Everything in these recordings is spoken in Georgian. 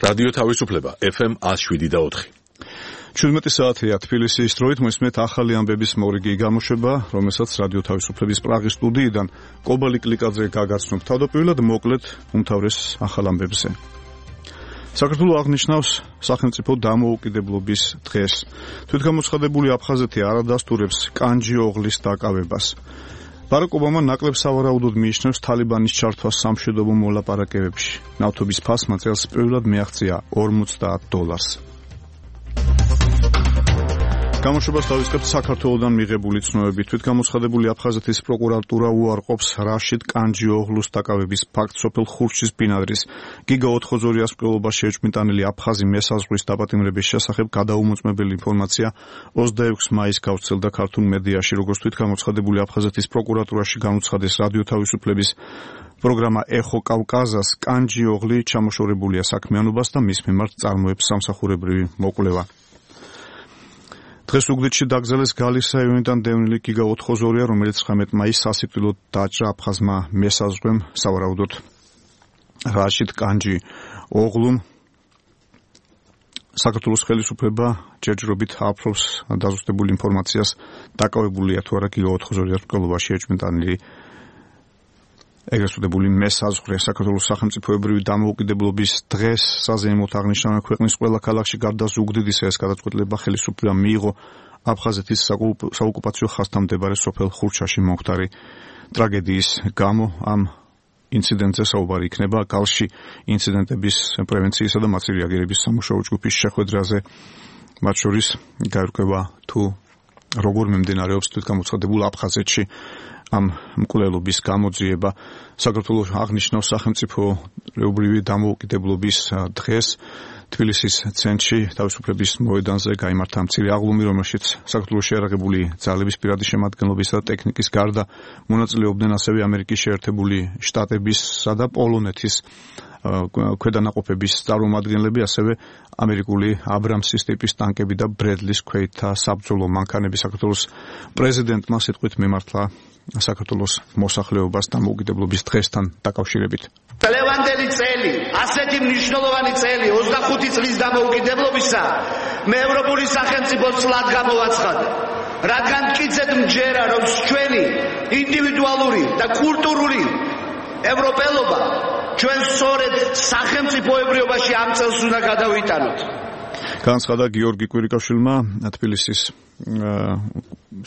რადიო თავისუფლება FM 107.4. 17 საათია თბილისის დროით მოსმენთ ახალი ამბების მორიგი გამოშვება, რომელსაც რადიო თავისუფლების პრაღის სტუდიიდან კობალი კლიკაძე გაგაცნობ. თავდაპირველად მოკლედ უმთავრეს ახალ ამბებზე. საქართველოს აღნიშნავს სახელმწიფო დამოუკიდებლობის დღეს. თვითგამოცხადებული აფხაზეთი არ ადასტურებს კანჯი ოღლის დაკავებას. ბარაკ ობამა ნაკლებ სავარაუდოდ მიიჩნევს თალიბანის ჩართვას სამშვიდობო მოლაპარაკებებში. ნავთობის ფასმა წელს პირველად მიაღწია $50. გამოშვებას დავიწყებთ საქართველოდან მიღებული ცნობებით. თვითგამოცხადებული აფხაზეთის პროკურატურა უარყოფს რაშიდ კანჯი ოღლუს დაკავების ფაქტს სოფელ ხურჩის ბინადრის. გიგა ოთხოზორიას მკვლელობაში ეჭვმიტანილი აფხაზი მესაზღვრის დაპატიმრების შესახებ გადაუმოწმებელი ინფორმაცია 26 მაისს გავრცელდა ქართულ მედიაში, როგორც თვითგამოცხადებული აფხაზეთის პროკურატურაში განუცხადეს რადიო თავისუფლების პროგრამა ეხო კავკაზას, კანჯი ოღლი ჩამოშორებულია საქმიანობას და მის მიმართ წარმოებს სამსახურებრივი მოკვლევა. დღეს უგდიდში დაკრძალეს გალის რაიონიდან დევნილი გიგა ოთხოზორია, რომელიც 19 მაისს სასიკვდილოდ დაჭრა აფხაზმა მესაზღვრემ სავარაუდოდ რაშიდ კანჯი ოღლუმ. საქართველოს ხელისუფლება ჯერჯერობით აფრობს დაზუსტებული ინფორმაციას, დაკავებულია თუ არა გიგა ოთხოზორიას მკვლელობაში ეჭვმიტანილი ეგრეთ წოდებული მესაზღვრე. საქართველოს სახელმწიფოებრივი დამოუკიდებლობის დღეს საზეიმოდ აღნიშნავენ ქვეყნის ყველა ქალაქში გარდა ზუგდიდის ეს გადაწყვეტილება ხელისუფლებამ მიიღო აფხაზეთის საოკუპაციო ხაზთან მდებარე სოფელ ხურჩაში მომხდარი ტრაგედიის გამო. ამ ინციდენტზე საუბარი იქნება გალში ინციდენტების პრევენციისა და მათი რეაგირების სამუშაო ჯგუფის შეხვედრაზე. მათ შორის გაირკვევა თუ როგორ მიმდინარეობს თვითგამოცხადებულ აფხაზეთში ამ მკვლელობის გამოძიება. საქართველოს აღნიშნავს სახელმწიფოებრივი დამოუკიდებლობის დღეს. თბილისის ცენტრში თავისუფლების მოედანზე გაიმართა მცირე აღლუმი, რომელშიც საქართველოს შეიარაღებული ძალების პირადი შემადგენლობისა და ტექნიკის გარდა მონაწილეობდნენ ასევე ამერიკის შეერთებული შტატებისა და პოლონეთის ქვედანაყოფების წარმომადგენლები, ასევე ამერიკული აბრამსის ტიპის ტანკები და ბრედლის ქვეითთა საბრძოლო მანქანები. საქართველოს პრეზიდენტმა სიტყვით მიმართლა საქართველოს მოსახლეობას დამოუკიდებლობის დღესთან დაკავშირებით. Ლევანდელი წელი, ასეთი მნიშვნელოვანი წელი 25 წლის დამოუკიდებლობისა მე ევროპული სახელმწიფო წლად გამოვაცხადე. რადგან მტკიცედ მჯერა, რომ ჩვენი ინდივიდუალური და კულტურული ევროპელობა ჩვენ სწორედ სახელმწიფოებრიობაში ამ წელს უნდა გადავიტანოთ. განცხადა გიორგი კვირიკაშვილმა თბილისის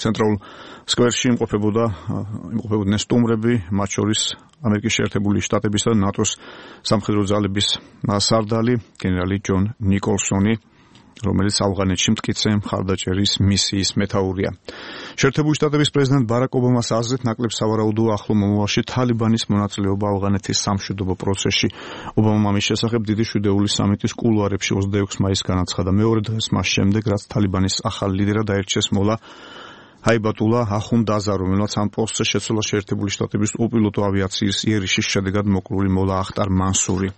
ცენტრალურ სკვერში იმყოფებოდნენ სტუმრები, მათ შორის ამერიკის შეერთებული შტატებისა და ნატოს სამხედრო ძალების სარდალი გენერალი ჯონ ნიკოლსონი, რომელიც ავღანეთში მტკიცე მხარდაჭერის მისიის მეთაურია. შეერთებული შტატების პრეზიდენტ ბარაკ ობამას აზრით ნაკლებ სავარაუდოა ახლო მომავალში თალიბანის მონაწილეობა ავღანეთის სამშვიდობო პროცესში. ობამამ ამის შესახებ დიდი შვიდეული სამიტის კულუარებში 26 მაისს განაცხადა. მეორე დღეს მას შემდეგ, რაც თალიბანის ახალ ლიდერად აირჩიეს მოლა ჰაიბატულა ახუნდაზა, რომელმაც ამ პოსტზე შეცვალა შეერთებული შტატების უპილოტო ავიაციის იერიშის შედეგად მოკლული მოლა ახტარ მანსური.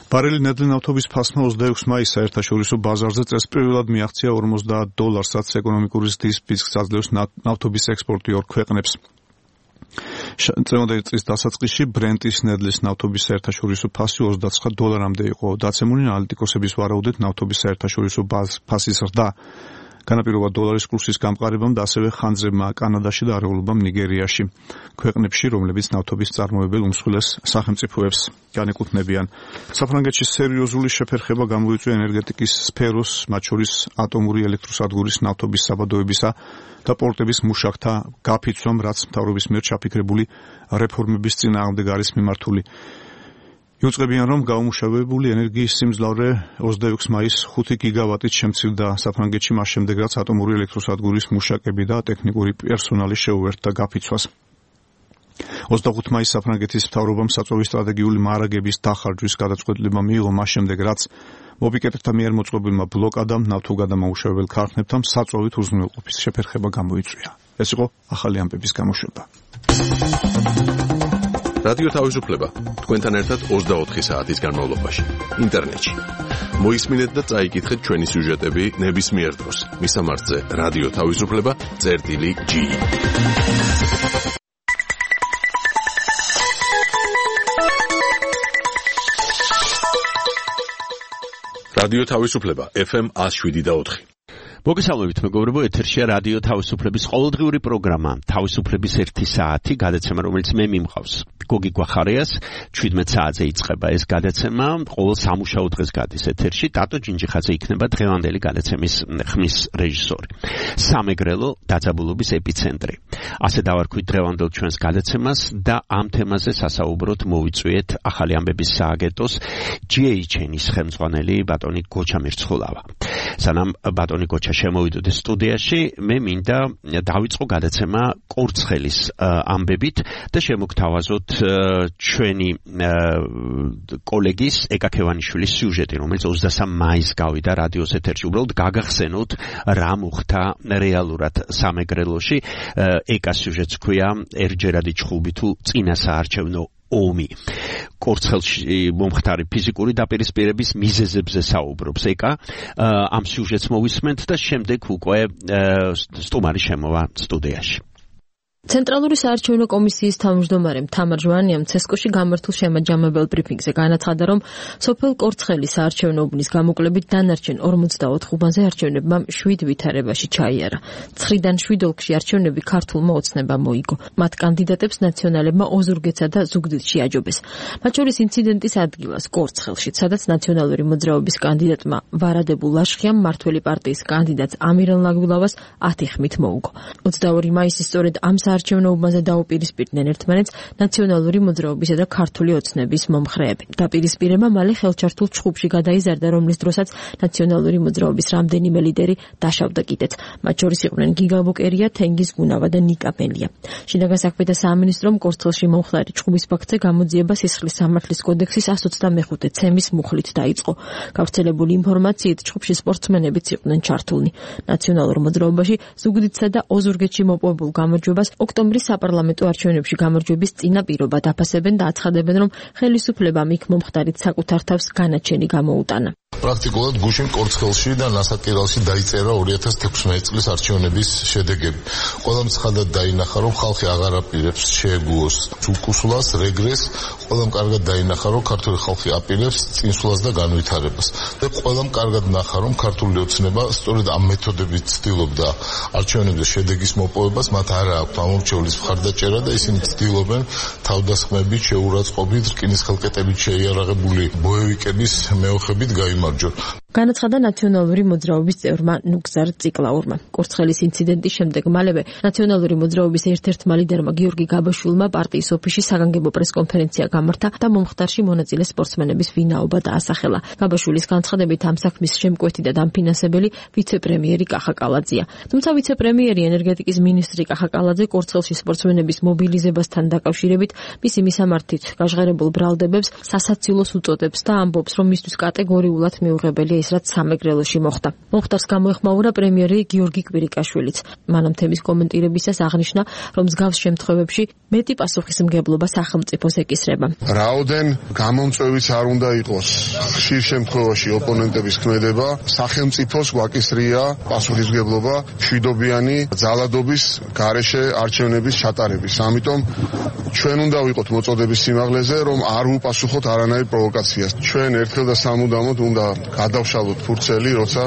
ბარელი ნედლი ნავთობის ფასმა 26 მაისს საერთაშორისო ბაზარზე წელს პირველად მიაღწია $40, რაც ეკონომიკური ზრდის ფისკს აძლევს ნავთობის ექსპორტი ორ ქვეყნებს. წლევანდელი წლის დასაწყისში ბრენტის ნედლის ნავთობის საერთაშორისო ფასი $29-მდე იყო დაცემული. ანალიტიკოსების ვარაუდით ნავთობის საერთაშორისო ფასის ზრდა განაპირობა დოლარის კურსის გამყარებამ და ასევე ხანძრებმა კანადაში და არეულობამ ნიგერიაში, ქვეყნებში, რომლებიც ნავთობის წარმოებელ უმსხვილეს სახელმწიფოებს განეკუთვნებიან. საფრანგეთში სერიოზული შეფერხება გამოიწვია ენერგეტიკის სფეროს, მათ შორის ატომური ელექტროსადგურის ნავთობის საბადოებისა და პორტების მუშაკთა გაფიცვამ, რაც მთავრობის მიერ ჩაფიქრებული რეფორმების წინააღმდეგ არის მიმართული. იუწყებიან, რომ გაუმუშავებელი ენერგიის სიმძლავრე 26 მაისს 5 გიგავატით შემცირდა საფრანგეთში, მას შემდეგ, რაც ატომური ელექტროსადგურის მუშაკები და ტექნიკური პერსონალი შეუერთდა გაფიცვას. 25 მაისს საფრანგეთის მთავრობამ საწვავის სტრატეგიული მარაგების დახარჯვის გადაწყვეტილება მიიღო, მას შემდეგ, რაც მოპიკეტებთა მიერ მოწყობილმა ბლოკადამ ნავთობგადამამუშავებელ ქარხნებთან საწვავით უზრუნველყოფის შეფერხება გამოიწვია. ეს იყო ახალი ამბების გამოშვება. რადიო თავისუფლება თქვენთან ერთად 24 საათის განმავლობაში ინტერნეტში. მოისმინეთ და წაიკითხეთ ჩვენი სიუჟეტები ნებისმიერ დროს. მისამართზე რადიო თავისუფლება.gi რადიო თავისუფლება FM 107.4. მოგესალმებით მეგობრებო, ეთერშია რადიო თავისუფლების ყოველდღიური პროგრამა თავისუფლების 1 საათი გადაცემა, რომელიც მე მიმყავს. გოგი გვახარიას 17 საათზე იწყება ეს გადაცემა, ყოველ სამუშაო დღეს გადის ეთერში. ტატო ჯინჯიხაძე იქნება დღევანდელი გადაცემის ხმის რეჟისორი. სამეგრელო დაძაბულობის ეპიცენტრი. ასე დავარქვით დღევანდელ ჩვენს გადაცემას და ამ თემაზე სასაუბროთ მოვიწვიეთ ახალი ამბების სააგენტოს GHN-ის ხელმძღვანელი ბატონი გოჩა მირცხულავა. სანამ ბატონი გოჩა შემოვიდოდეს სტუდიაში, მე მინდა დავიწყო გადაცემა კურცხელის ამბებით და შემოგთავაზოთ ჩვენი კოლეგის ეკა ქევანიშვილის სიუჟეტი, რომელიც 23 მაისს გავიდა რადიოს ეთერში. უბრალოდ გაგახსენოთ რა მოხდა რეალურად სამეგრელოში. ეკას სიუჟეტს ქვია ერჯერადი ჩხუბი თუ წინა საარჩევნო ომი. კურცხელში მომხდარი ფიზიკური დაპირისპირების მიზეზებზე საუბრობს ეკა. ამ სიუჟეტს მოვისმენთ და შემდეგ უკვე სტუმარი შემოვა სტუდიაში. ცენტრალური საარჩევნო კომისიის თავმჯდომარემ თამარ ჟვანიამ ცესკოში გამართულ შემაჯამებელ ბრიფინგზე განაცხადა, რომ სოფელ კურცხელის საარჩევნო უბნის გამოკლებით დანარჩენ 44 უბანზე არჩევნებმა 7 ვითარებაში ჩაიარა. 9-დან 7 ოლქში არჩევნები ქართულმა ოცნებამ მოიგო. მათ კანდიდატებს ნაციონალებმა ოზურგეცა და ზუგდიდში აჯობეს. მათ შორის ინციდენტის ადგილას კურცხელში, სადაც ნაციონალური მოძრაობის კანდიდატმა ვარადებულ ლაშხიამ მართველი პარტიის კანდიდატს ამირან ლაგვილავას 10 ხმით მოუგო. 22 მაისის სწორედ ამ არჩევნო უბანზე დაუპირისპირდნენ ერთმანეთს ნაციონალური მოძრაობისა და ქართული ოცნების მომხრეები. დაპირისპირება მალე ხელჩართულ ჩხუბში გადაიზარდა, რომლის დროსაც ნაციონალური მოძრაობის რამდენიმე ლიდერი დაშავდა კიდეც. მათ შორის იყვნენ გიგა ბოკერია, თენგიზ გუნავა და ნიკა პენლია. შინაგან საქმეთა სამინისტრომ კურცხელში მომხდარი ჩხუბის ფაქტზე გამოძიება სისხლის სამართლის კოდექსის 125 ცემის მუხლით დაიწყო. გავრცელებული ინფორმაციით ჩხუბში სპორტსმენებიც იყვნენ ჩართულნი. ნაციონალურ მოძრაობაში ზუგდიდსა და ოზურგეთში მოპოვებულ გამარჯვებას ოქტომბრის საპარლამენტო არჩევნებში გამარჯვების წინა პირობა დაფასებენ და აცხადებენ, რომ ხელისუფლებამ იქ მომხდარით საკუთარ თავს განაჩენი გამოუტანა. პრაქტიკულად გუშინ კურცხელში და ნასაკირალში დაიწერა 2016 წლის არჩევნების შედეგები. ყველამ ცხადად დაინახა, რომ ხალხი აღარ აპირებს შეეგუოს უკუსლას, რეგრესს, ყველამ კარგად დაინახა, რომ ქართული ხალხი აპირებს წინსვლას და განვითარებას. და ყველამ კარგად ნახა, რომ ქართული ოცნება სწორედ ამ მეთოდებით ცდილობდა არჩევნებზე შედეგის მოპოვებას, მათ არ აქვთ ამორჩევლის მხარდაჭერა და ისინი ცდილობენ თავდასხმებით, შეურაცხყოფით, რკინის ხელკეტებით შეიარაღებული ბოევიკების მეოხებით გაიმარჯვონ. განაცხადა ნაციონალური მოძრაობის წევრმა ნუგზარ ციკლაურმა. კურცხელის ინციდენტის შემდეგ მალევე ნაციონალური მოძრაობის ერთ-ერთმა ლიდერმა გიორგი გაბაშვილმა პარტიის ოფისში საგანგებო პრესკონფერენცია გამართა და მომხდარში მონაწილე სპორტსმენების ვინაობა დაასახელა. გაბაშვილის განცხადებით ამ საქმის შემკვეთი და დამფინანსებელი ვიცე-პრემიერი კახა კალაძეა. თუმცა ვიცე-პრემიერი ენერგეტიკის მინისტრი კახა კალაძე კურცხელში სპორტსმენების მობილიზებასთან დაკავშირებით მისი მისამართით გაჟღერებულ ბრალდებებს სასაცილოს უწოდებს და ამბობს, რომ მისთვის კატეგორიულად მიუღებელია ის, რაც სამეგრელოში მოხდა. მომხდარს გამოეხმაურა პრემიერი გიორგი კვირიკაშვილიც. მან ამ თემის კომენტირებისას აღნიშნა, რომ მსგავს შემთხვევებში მეტი პასუხისმგებლობა სახელმწიფოს ეკისრება. რაოდენ გამომწვევიც არ უნდა იყოს ხშირ შემთხვევაში ოპონენტების ქმედება, სახელმწიფოს გვაკისრია პასუხისმგებლობა მშვიდობიანი ძალადობის გარეშე არჩევნების ჩატარების. ამიტომ ჩვენ უნდა ვიყოთ მოწოდების სიმაღლეზე, რომ არ ვუპასუხოთ არანაირ პროვოკაციას. ჩვენ ერთხელ და სამუდამოდ უნდა გადავშალოთ ფურცელი, როცა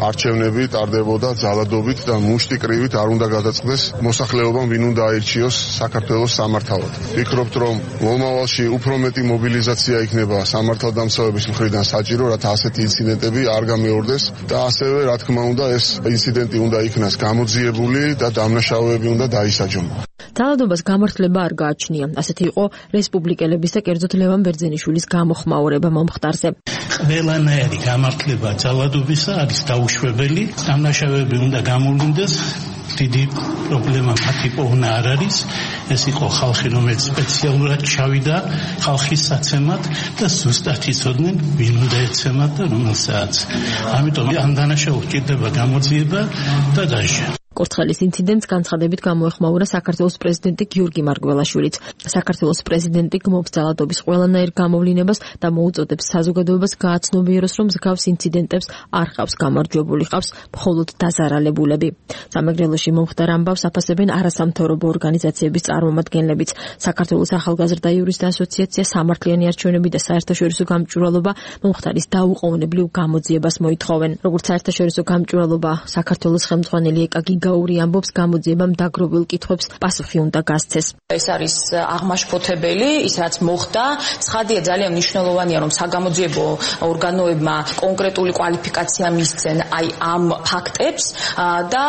არჩევნები ტარდებოდა ძალადობით და მუშტიკრივით არ უნდა გადაწყდეს მოსახლეობამ, ვინ უნდა აირჩიოს საქართველოს სამართავად. ვფიქრობთ, რომ მომავალში უფრო მეტი მობილიზაცია იქნება სამართალდამცავების მხრიდან საჭირო, რათა ასეთი ინციდენტები არ გამეორდეს და ასევე, რა თქმა უნდა, ეს ინციდენტი უნდა იქნას გამოძიებული და დამნაშავეები უნდა დაისაჯონ. ძალადობას გამართლება არ გააჩნია. ასეთი იყო რესპუბლიკელების და კერძოდ ლევან ბერძენიშვილის გამოხმაურება მომხდარზე. ყველანაირი გამართლება ძალადობისა არის დაუშვებელი. დამნაშავეები უნდა გამოვლინდეს. დიდი პრობლემა მათი პოვნა არ არის. ეს იყო ხალხი, რომელიც სპეციალურად ჩავიდა ხალხის საცემად და ზუსტად იცოდნენ, ვინ უნდა ეცემათ და რომელსაც. ამიტომ ამ დანაშაულს ჭირდება გამოძიება და დაჟე. კურთხელის ინციდენტს განცხადებით გამოეხმაურა საქართველოს პრეზიდენტი გიორგი მარგველაშვილიც. საქართველოს პრეზიდენტი გმობს ძალადობის ყველანაირ გამოვლინებას და მოუწოდებს საზოგადოებას გააცნობიეროს, რომ მსგავს ინციდენტებს არ ყავს გამარჯვებული, ყავს მხოლოდ დაზარალებულები. სამეგრელოში მომხდარ ამბავს აფასებენ არასამთავრობო ორგანიზაციების წარმომადგენლებიც. საქართველოს ახალგაზრდა იურისტთა ასოციაცია სამართლიანი არჩევნები და საერთაშორისო გამჭვირვალობა მომხდარის დაუყოვნებლივ გამოძიებას მოითხოვენ. როგორც საერთაშორისო გამჭვირვალობა საქართველოს ხელმძღვანელი ეკა გიგაური ამბობს, გამოძიებამ დაგროვილ კითხვებს პასუხი უნდა გასცეს. ეს არის აღმაშფოთებელი, ის რაც მოხდა. ცხადია, ძალიან მნიშვნელოვანია, რომ საგამოძიებო ორგანოებმა კონკრეტული კვალიფიკაცია მისცენ აი ამ ფაქტებს და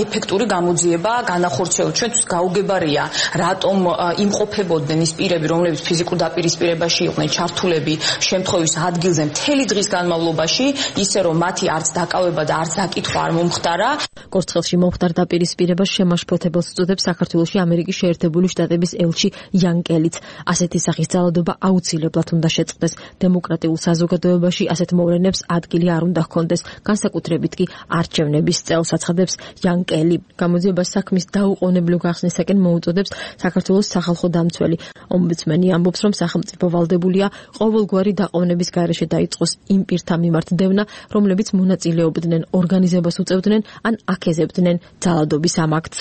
ეფექტური გამოძიება განახორციელოს. ჩვენთვის გაუგებარია, რატომ იმყოფებოდნენ ის პირები, რომლებიც ფიზიკურ დაპირისპირებაში იყვნენ ჩართულები შემთხვევის ადგილზე მთელი დღის განმავლობაში, ისე რომ მათი არც დაკავება და არც დაკითხვა არ მომხდარა. კურთხელში მომხდარ დაპირისპირებას შემაშფოთებელს უწოდებს საქართველოში ამერიკის შეერთებული შტატების ელჩი იან კელიც. ასეთი სახის ძალადობა აუცილებლად უნდა შეწყდეს. დემოკრატიულ საზოგადოებაში ასეთ მოვლენებს ადგილი არ უნდა ჰქონდეს, განსაკუთრებით კი არჩევნების წელს, აცხადებს იან კელი. გამოძიებას საქმის დაუყოვნებლივ გახსნისაკენ მოუწოდებს საქართველოს სახალხო დამცველი. ომბუდსმენი ამბობს, რომ სახელმწიფო ვალდებულია ყოველგვარი დაყოვნების გარეშე დაიწყოს იმ პირთა მიმართ დევნა, რომლებიც მონაწილეობდნენ, ორგანიზებას უწევდნენ ან აქეზებდნენ ძალადობის ამ აქტს.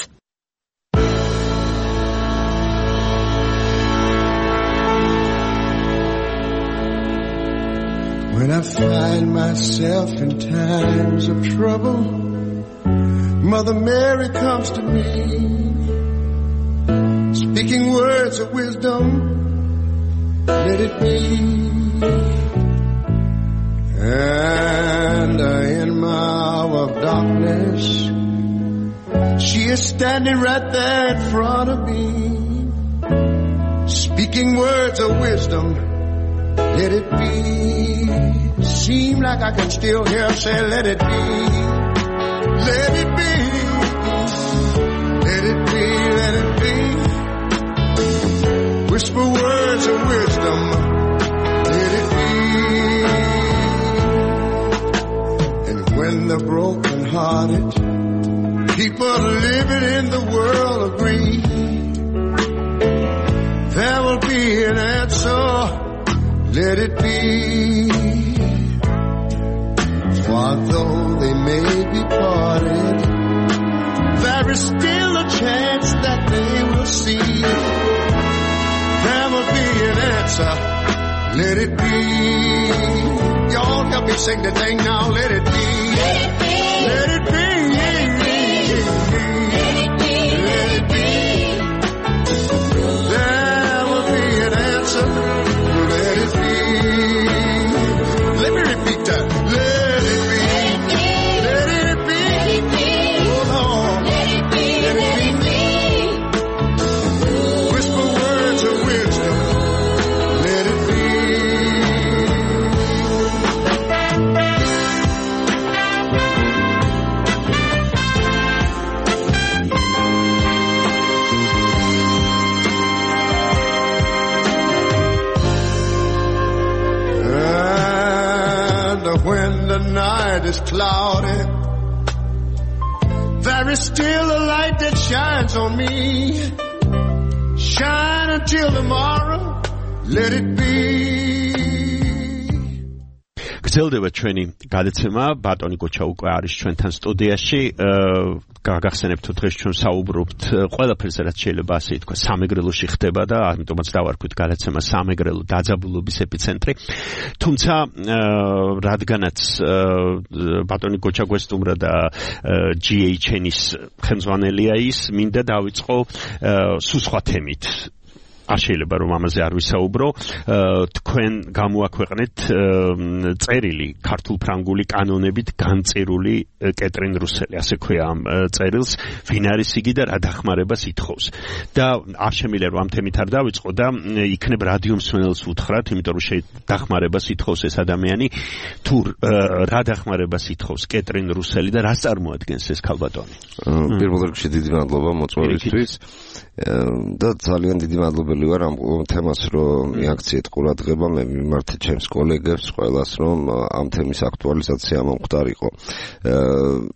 When I find myself in times of trouble, Mother Mary comes to me, speaking words of wisdom, let it be. And in my hour of darkness, she is standing right there in front of me, speaking words of wisdom, let it be. Seem like I can still hear her say, let it be, let it be, let it be, let it be. Whisper words of wisdom, let it be. And when the broken-hearted people living in the world agree, there will be an answer, let it be. For though they may be parted, there is still a chance that they will see. There will be an answer, let it be. Y'all help me sing the thing now, let it be. Let it be. Let it be. Let it be. Let it be. There will be an answer, let it be. Let me repeat that. Let it be. Let it be. Oh Lord. Let it be. Let it be. Whisper words of wisdom. Let it be. And when the night is cloudy, there is still a light that shines on me. Shine until tomorrow, let it be. გრძელდება ჩვენი გადაცემა, ბატონი გოჩა უკვე არის ჩვენთან სტუდიაში. გაგახსენებთ თუ დღეს ჩვენ საუბრობთ ყველაფერზე, რაც შეიძლება ასე ითქვა, სამეგრელოში ხდება და ამიტომაც დავარქვით გადაცემა სამეგრელო დაძაბულობის ეპიცენტრი. თუმცა რადგანაც ბატონი გოჩა გვესტუმრა და GHN-ის ხელმძღვანელია ის, მინდა დავიწყო სულ სხვა თემით. არ შეიძლება რომ ამაზე არ ვისაუბრო. თქვენ გამოაქვეყნეთ წერილი ქართულ-ფრანგული კანონებით განწერული კეტრინ რუსელი, ასე ქვია ამ წერილს, ვინ არის იგი და რა დახმარებას ითხოვს. და არ შემიძლია რომ ამ თემით არ დავიწყო და იქნებ რადიო მსმენელს უთხრათ, იმიტომ რომ დახმარებას ითხოვს ეს ადამიანი, თუ რა დახმარებას ითხოვს კეტრინ რუსელი და რას წარმოადგენს ეს ქალბატონი. პირველ რიგში დიდი მადლობა მოწვევისთვის. და ძალიან დიდი მადლობელი ვარ ამ თემას რომ მიაქციეთ ყურადღება მე მიმართ ჩემს კოლეგებს ყველას რომ ამ თემის აქტუალიზაცია მომხდარიყო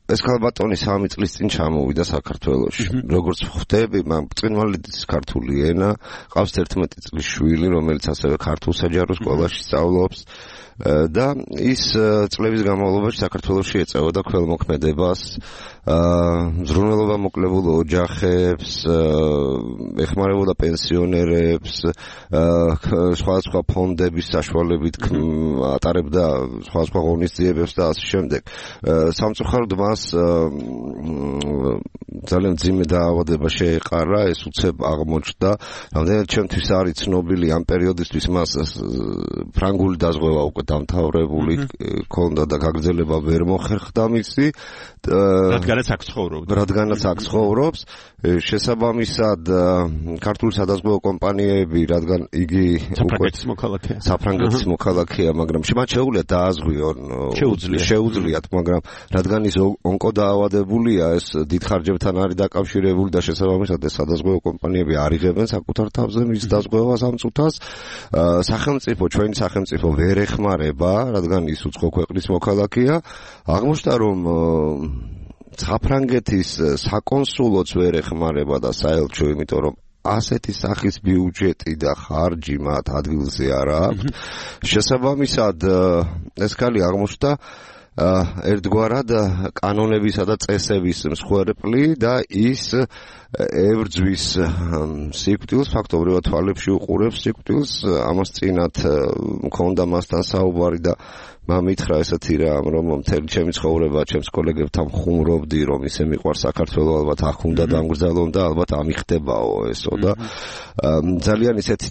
ეს ქალბატონი 3 წლის წინ ჩამოვიდა საქართველოში როგორც ხვდები მან ბრწყინვალედის ქართული ენა ყავს 11 წლის შვილი რომელიც ასევე ქართულ საჯარო სკოლაში სწავლობს და ის წლების განმავლობაში საქართველოში ეწეოდა ქველმოქმედებას ზრუნველობა მოკლებულ ოჯახებს ეხმარებოდა პენსიონერებს სხვადასხვა ფონდების საშუალებით ატარებდა სხვადასხვა ღონისძიებებს და ასე შემდეგ სამწუხაროდ მას ძალიან ძიმე დაავადება შეეყარა ეს უცებ აღმოჩნდა რამდენად ჩემთვის არის ცნობილი ამ პერიოდისთვის მას ფრანგული დაზღვევა უკვე დამთავრებული ქონდა და გაგრძელება ვერ მოხერხდა მისი რადგანაც აქ ცხოვრობს შესაბამისად ქართული სადაზღვევო კომპანიები რადგან იგი საფრანგეთის მოქალაქეა მაგრამ მათ შეუძლიათ დააზღვიონ შეუძლიათ მაგრამ რადგან ის ონკოდაავადებულია ეს დიდ ხარჯებთან არის დაკავშირებული და შესაბამისად ეს სადაზღვევო კომპანიები არ იღებენ საკუთარ თავზე მის დაზღვევას ამ წუთას ჩვენი სახელმწიფო ვერ ეხმარება რადგან ის უცხო ქვეყნის მოქალაქეა აღმოჩნდა რომ საფრანგეთის საკონსულოც ვერ ეხმარება და საელჩო იმიტომ რომ ასეთი სახის ბიუჯეტი და ხარჯი მათ ადგილზე არ აქვს შესაბამისად ეს ქალი აღმოჩნდა ერთგვარად კანონებისა და წესების მსხვერპლი და ის ებრძვის სიკვდილს ფაქტობრივად თვალებში უყურებს სიკვდილს ამას წინათ მქონდა მასთან საუბარი და მითხრა ესეთი რამ რომ მთელი ჩემი ცხოვრება ჩემს კოლეგებთან ხუმრობდი რომ ისე მიყვარს საქართველო ალბათ აქ უნდა დამგრძელონ და ალბათ ამიხდებაო ესო და ძალიან ისეთი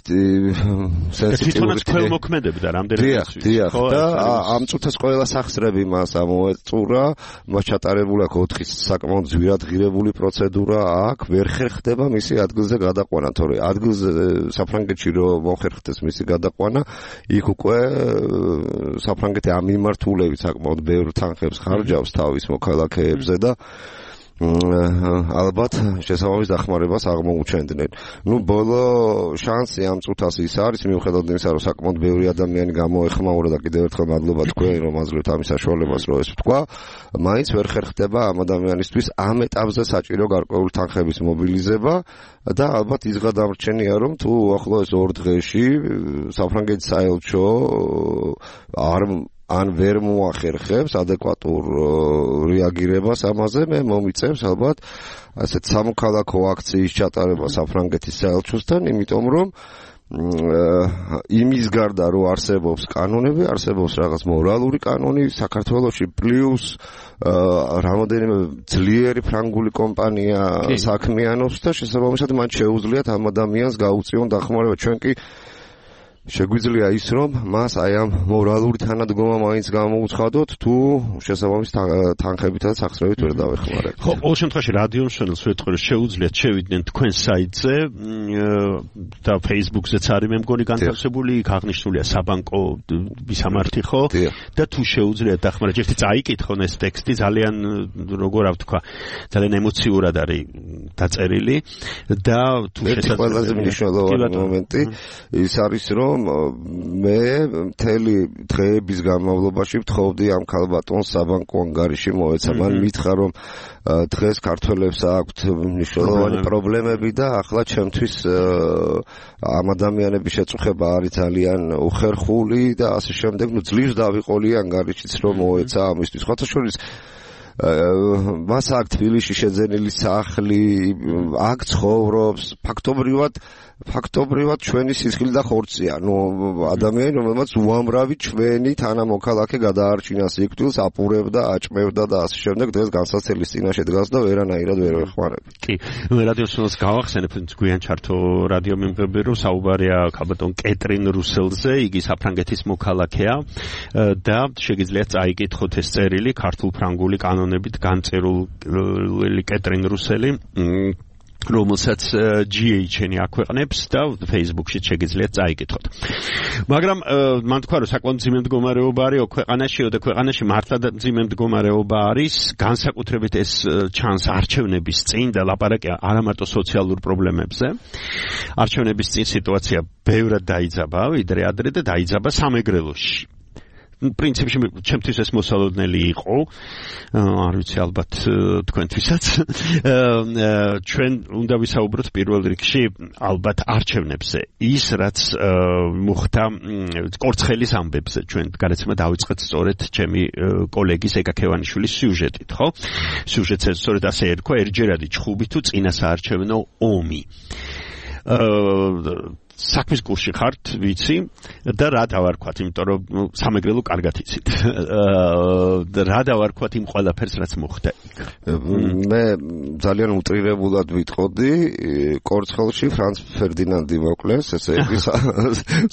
სენსიტიური ქველმოქმედებდა რამდენად დიახ და ამ წუთას ყველა სახსრები მას ამოეწურა მას ჩატარებული აქვს 4 საკმაოდ ძვირადღირებული პროცედურა აქ ვერ ხერხდება მისი ადგილზე გადაყვანა თორე ადგილზე საფრანგეთში რომ მოხერხდეს მისი გადაყვანა იქ უკვე საფრანგეთი ამ მიმართულებით საკმაოდ ბევრ თანხებს ხარჯავს თავის მოქალაქეებზე და ალბათ შესაბამის დახმარებას აღმოუჩენდნენ. ბოლო შანსი ამ წუთას ის არის მიუხედავად იმისა, რომ საკმაოდ ბევრი ადამიანი გამოეხმაურა და კიდევ ერთხელ მადლობა თქვენ, რომ აძლევთ ამის საშუალებას, რომ ეს ვთქვა, მაინც ვერ ხერხდება ამ ადამიანისთვის ამ ეტაპზე საჭირო გარკვეული თანხების მობილიზება და ალბათ ის გადამრჩენია, რომ თუ უახლოეს 2 დღეში საფრანგეთის საელჩო ან ვერ მოახერხებს ადეკვატურ რეაგირებას ამაზე, მე მომიწევს ალბათ ასეთ სამოქალაქო აქციის ჩატარება საფრანგეთის საელჩოსთან, იმიტომ რომ იმის გარდა რომ არსებობს კანონები, არსებობს რაღაც მორალური კანონი საქართველოში პლუს რამოდენიმე ძლიერი ფრანგული კომპანია საქმიანობს და შესაბამისად მათ შეუძლიათ ამ ადამიანს გაუწიონ დახმარება. ჩვენ კი შეგვიძლია ის რომ მას აი ამ მორალური თანადგომა მაინც გამოუცხადოთ თუ შესაბამის თანხებითა და სახსრებით ვერ დავეხმარებთ. ხო, ყოველ შემთხვევაში რადიო მშენელს ვეთქვი რომ შეუძლიათ შევიდნენ თქვენ საიტზე და Facebook-ზეც არის მე მგონი განთავსებული, იქ აღნიშნულია საბანკო მისამართი ხო? და თუ შეუძლიათ დახმარება, ერთი წაიკითხონ ეს ტექსტი ძალიან როგორ ვთქვა, ძალიან ემოციურად არის დაწერილი და თუ შესაძლოა ყველაზე მნიშვნელოვანი მომენტი ის არის რომ მე მთელი დღეების განმავლობაში ვთხოვდი ამ ქალბატონს საბანკო ანგარიში მოეცა. მან მითხრა რომ დღეს ქართველებს აქვთ მნიშვნელოვანი პრობლემები და ახლა ჩემთვის ამ ადამიანების შეწუხება არის ძალიან უხერხული და ასე შემდეგ. ძლივს დავიყოლი ანგარიშიც რომ მოეცა ამისთვის. ხოთა შორის მას აქ თბილისში შეძენილი სახლი, აქ ცხოვრობს, ფაქტობრივად ჩვენი სისხლი და ხორცია. ადამიანი, რომელმაც უამრავი ჩვენი თანამოქალაქე გადაარჩინა სიკვდილს, აპურებდა, აჭმევდა და ასე შემდეგ, დღეს განსაცდელის წინაშე დგას და ვერანაირად ვერ ვეხმარებ. კი, რადიოსმენელს გავახსენებ, გვიან ჩართო რადიო მიმღები, რომ საუბარია ქალბატონ კეტრინ რუსელზე, იგი საფრანგეთის მოქალაქეა და შეგიძლიათ წაიკითხოთ ეს წერილი ქართულ-ფრანგული კანონებით განწერული კეტრინ რუსელი რომელსაც GHN აქვეყნებს და Facebook-ში შეგიძლიათ წაიკითხოთ. მაგრამ მან თქვა, რომ საკმაოდ მძიმე მდგომარეობა არის ქვეყანაში და ქვეყანაში მართლა მძიმე მდგომარეობა არის, განსაკუთრებით ეს ჩანს არჩევნების წინ და ლაპარაკი არა მარტო სოციალურ პრობლემებზე. არჩევნების წინ სიტუაცია ბევრად დაიძაბა, ვიდრე ადრე და დაიძაბა სამეგრელოში. პრინციპში ჩემთვის ეს მოსალოდნელი იყო, არ ვიცი ალბათ თქვენთვისაც. ჩვენ უნდა ვისაუბროთ პირველ რიგში ალბათ არჩევნებზე. ის რაც მოხდა კორცხელის ამბებზე, ჩვენ გადაცემა დავიწყეთ სწორედ ჩემი კოლეგის ეკა ქევანიშვილის სიუჟეტით, ხო? სიუჟეტს სწორედ ასე ერქვა, ერთჯერადი ჩხუბი თუ წინა საარჩევნო ომი. საქმის კურსში ხართ, ვიცი, და რა დავარქვათ, იმიტომ რომ სამეგრელო კარგად იცით. რა დავარქვათ იმ ყველაფერს, რაც მოხდა იქ. მე ძალიან უტრირებულად ვიტყოდი, კორცხელში ფრანც ფერდინანდი მოკლეს, ესე იგი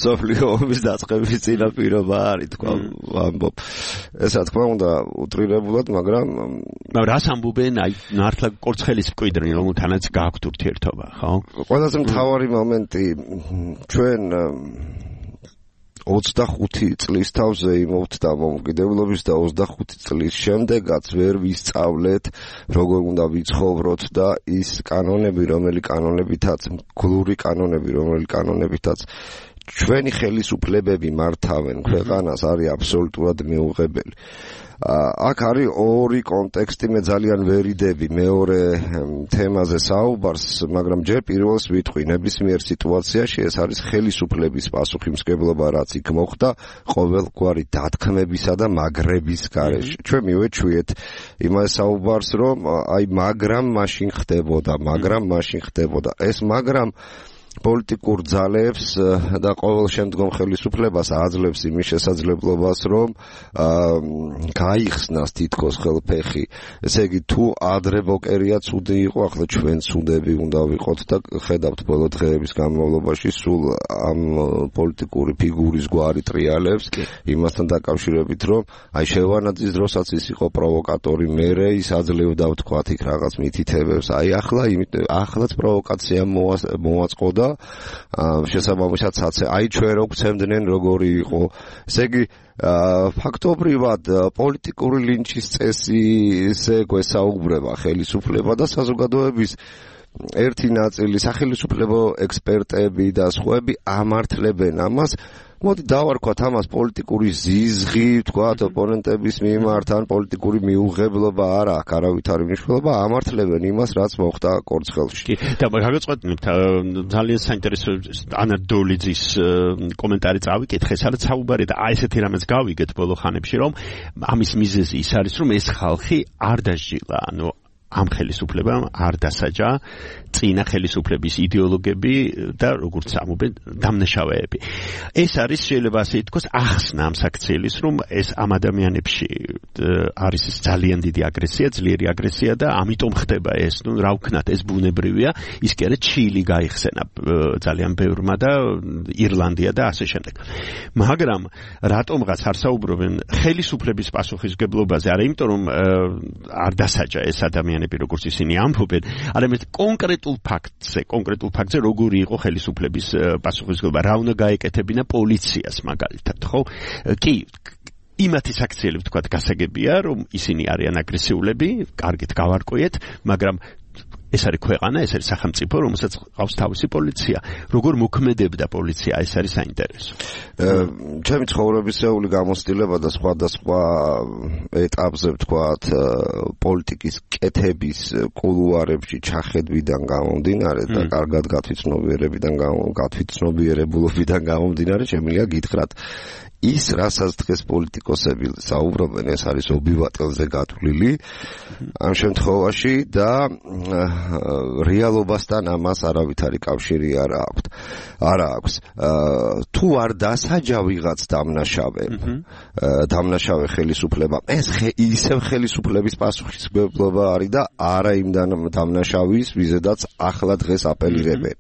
მსოფლიო ომის დაწყების წინაპირობა არის, თქვა ვამბობ. ეს რა თქმა უნდა უტრირებულად, მაგრამ რას ამბობენ, აი მართლა კორცხელის მკვიდრი, რომელთანაც გააქვთ ურთიერთობა, ხო? ყველაზე მთავარი მომენტი ჩვენ 25 წლის თავზე იმოვთ დამოუკიდებლობის და 25 წლის შემდეგაც ვერ ვისწავლეთ როგორ უნდა ვიცხოვროთ და ის კანონები, გლური კანონები, რომელთაც ჩვენი ხელისუფლებები მართავენ ქვეყანას, არის აბსოლუტურად მიუღებელი. აქ არის ორი კონტექსტი, მე ძალიან ვერიდები მეორე თემაზე საუბარს, მაგრამ ჯერ პირველს ვიტყვი, ნებისმიერ სიტუაციაში ეს არის ხელისუფლების პასუხისმგებლობა, რაც იქ მოხდა ყოველგვარი დათქმებისა და მაგრების გარეშე. ჩვენ მივეჩვიეთ იმას საუბარს, რომ აი მაგრამ მაშინ ხდებოდა. ეს მაგრამ პოლიტიკურ ძალებს და ყოველ შემდგომ ხელისუფლებას აძლევს იმის შესაძლებლობას, რომ გაიხსნას თითქოს ხელფეხი. ესე იგი, თუ ადრე ბოკერია ცუდი იყო, ახლა ჩვენ ცუდები უნდა ვიყოთ და ხედავთ ბოლო დღეების განმავლობაში სულ ამ პოლიტიკური ფიგურის გვარი ტრიალებს იმასთან დაკავშირებით, რომ აი შევანაძის დროსაც ის იყო პროვოკატორი, მერე ის აძლევდა ვთქვათ იქ რაღაც მითითებებს. აი ახლაც პროვოკაცია მოაწყო და შესაბამისად აი ჩვენ რო გვცემდნენ როგორი იყო. ესე იგი ფაქტობრივად პოლიტიკური ლინჩის წესზე გვესაუბრება ხელისუფლება და საზოგადოების ერთი ნაწილი, სახელმწიფო ექსპერტები და სხვაები ამართლებენ ამას. მოდი დავარქვათ ამას პოლიტიკური ზიზღი, თქვათ ოპონენტების მიმართ, ან პოლიტიკური მიუღებლობა არა აქვს არავითარი მნიშვნელობა, ამართლებენ იმას, რაც მოხდა კორცხელში. კი, და გაგაწყვეტნებთ ძალიან საინტერესო ანა დოლიძის კომენტარი წავიკითხე, სადაც საუბარი და აი ესეთი რამეც გავიგეთ ბოლო ხანებში, რომ ამის მიზეზი ის არის, რომ ეს ხალხი არ დასჯილა, ანუ ამ ხელისუფლებამ არ დასაჯა წინა ხელისუფლების იდეოლოგები და როგორც ამობენ დამნაშავეები. ეს არის შეიძლება ასე ითქვას ახსნა ამ საქციელის, რომ ეს ამ ადამიანებში არის ძალიან დიდი აგრესია, ძლიერი აგრესია და ამიტომ ხდება ეს, ნუ რა ვქნათ, ეს ბუნებრივია, ის კი არა ჩილი გაიხსენა ძალიან ბევრმა და ირლანდია და ასე შემდეგ. მაგრამ რატომღაც არ საუბრობენ ხელისუფლების პასუხისმგებლობაზე, არა იმიტომ რომ არ დასაჯა ეს ადამიანი როგორც ისინი ამბობენ, არამედ კონკრეტულ ფაქტზე როგორი იყო ხელისუფლების პასუხისმგებლობა, რა უნდა გაეკეთებინა პოლიციას მაგალითად, ხო? კი, იმათი საქციელი ვთქვათ გასაგებია, რომ ისინი არიან აგრესიულები, კარგით გავარკვიეთ, მაგრამ ეს არის ქვეყანა, ეს არის სახელმწიფო, რომელსაც ყავს თავისი პოლიცია. როგორ მოქმედებდა პოლიცია, ეს არის საინტერესო. ჩემი ცხოვრებისეული გამოცდილება და სხვადასხვა ეტაპზე ვთქვათ, პოლიტიკის კეთების კულუარებში ჩახედვიდან გამომდინარე და კარგად გათვითცნობიერებულობიდან გამომდინარე, შემიძლია გითხრათ, ის რასაც დღეს პოლიტიკოსები საუბრობენ, ეს არის ობიბატელზე გათვლილი ამ შემთხვევაში და რეალობასთან ამას არავითარი კავშირი არ აქვს. თუ არ დასაჯა ვიღაც დამნაშავე ხელისუფლება, ეს ისევ ხელისუფლების პასუხისმგებლობა არის და არა იმ დამნაშავის, ვიზედაც ახლა დღეს აპელირებენ.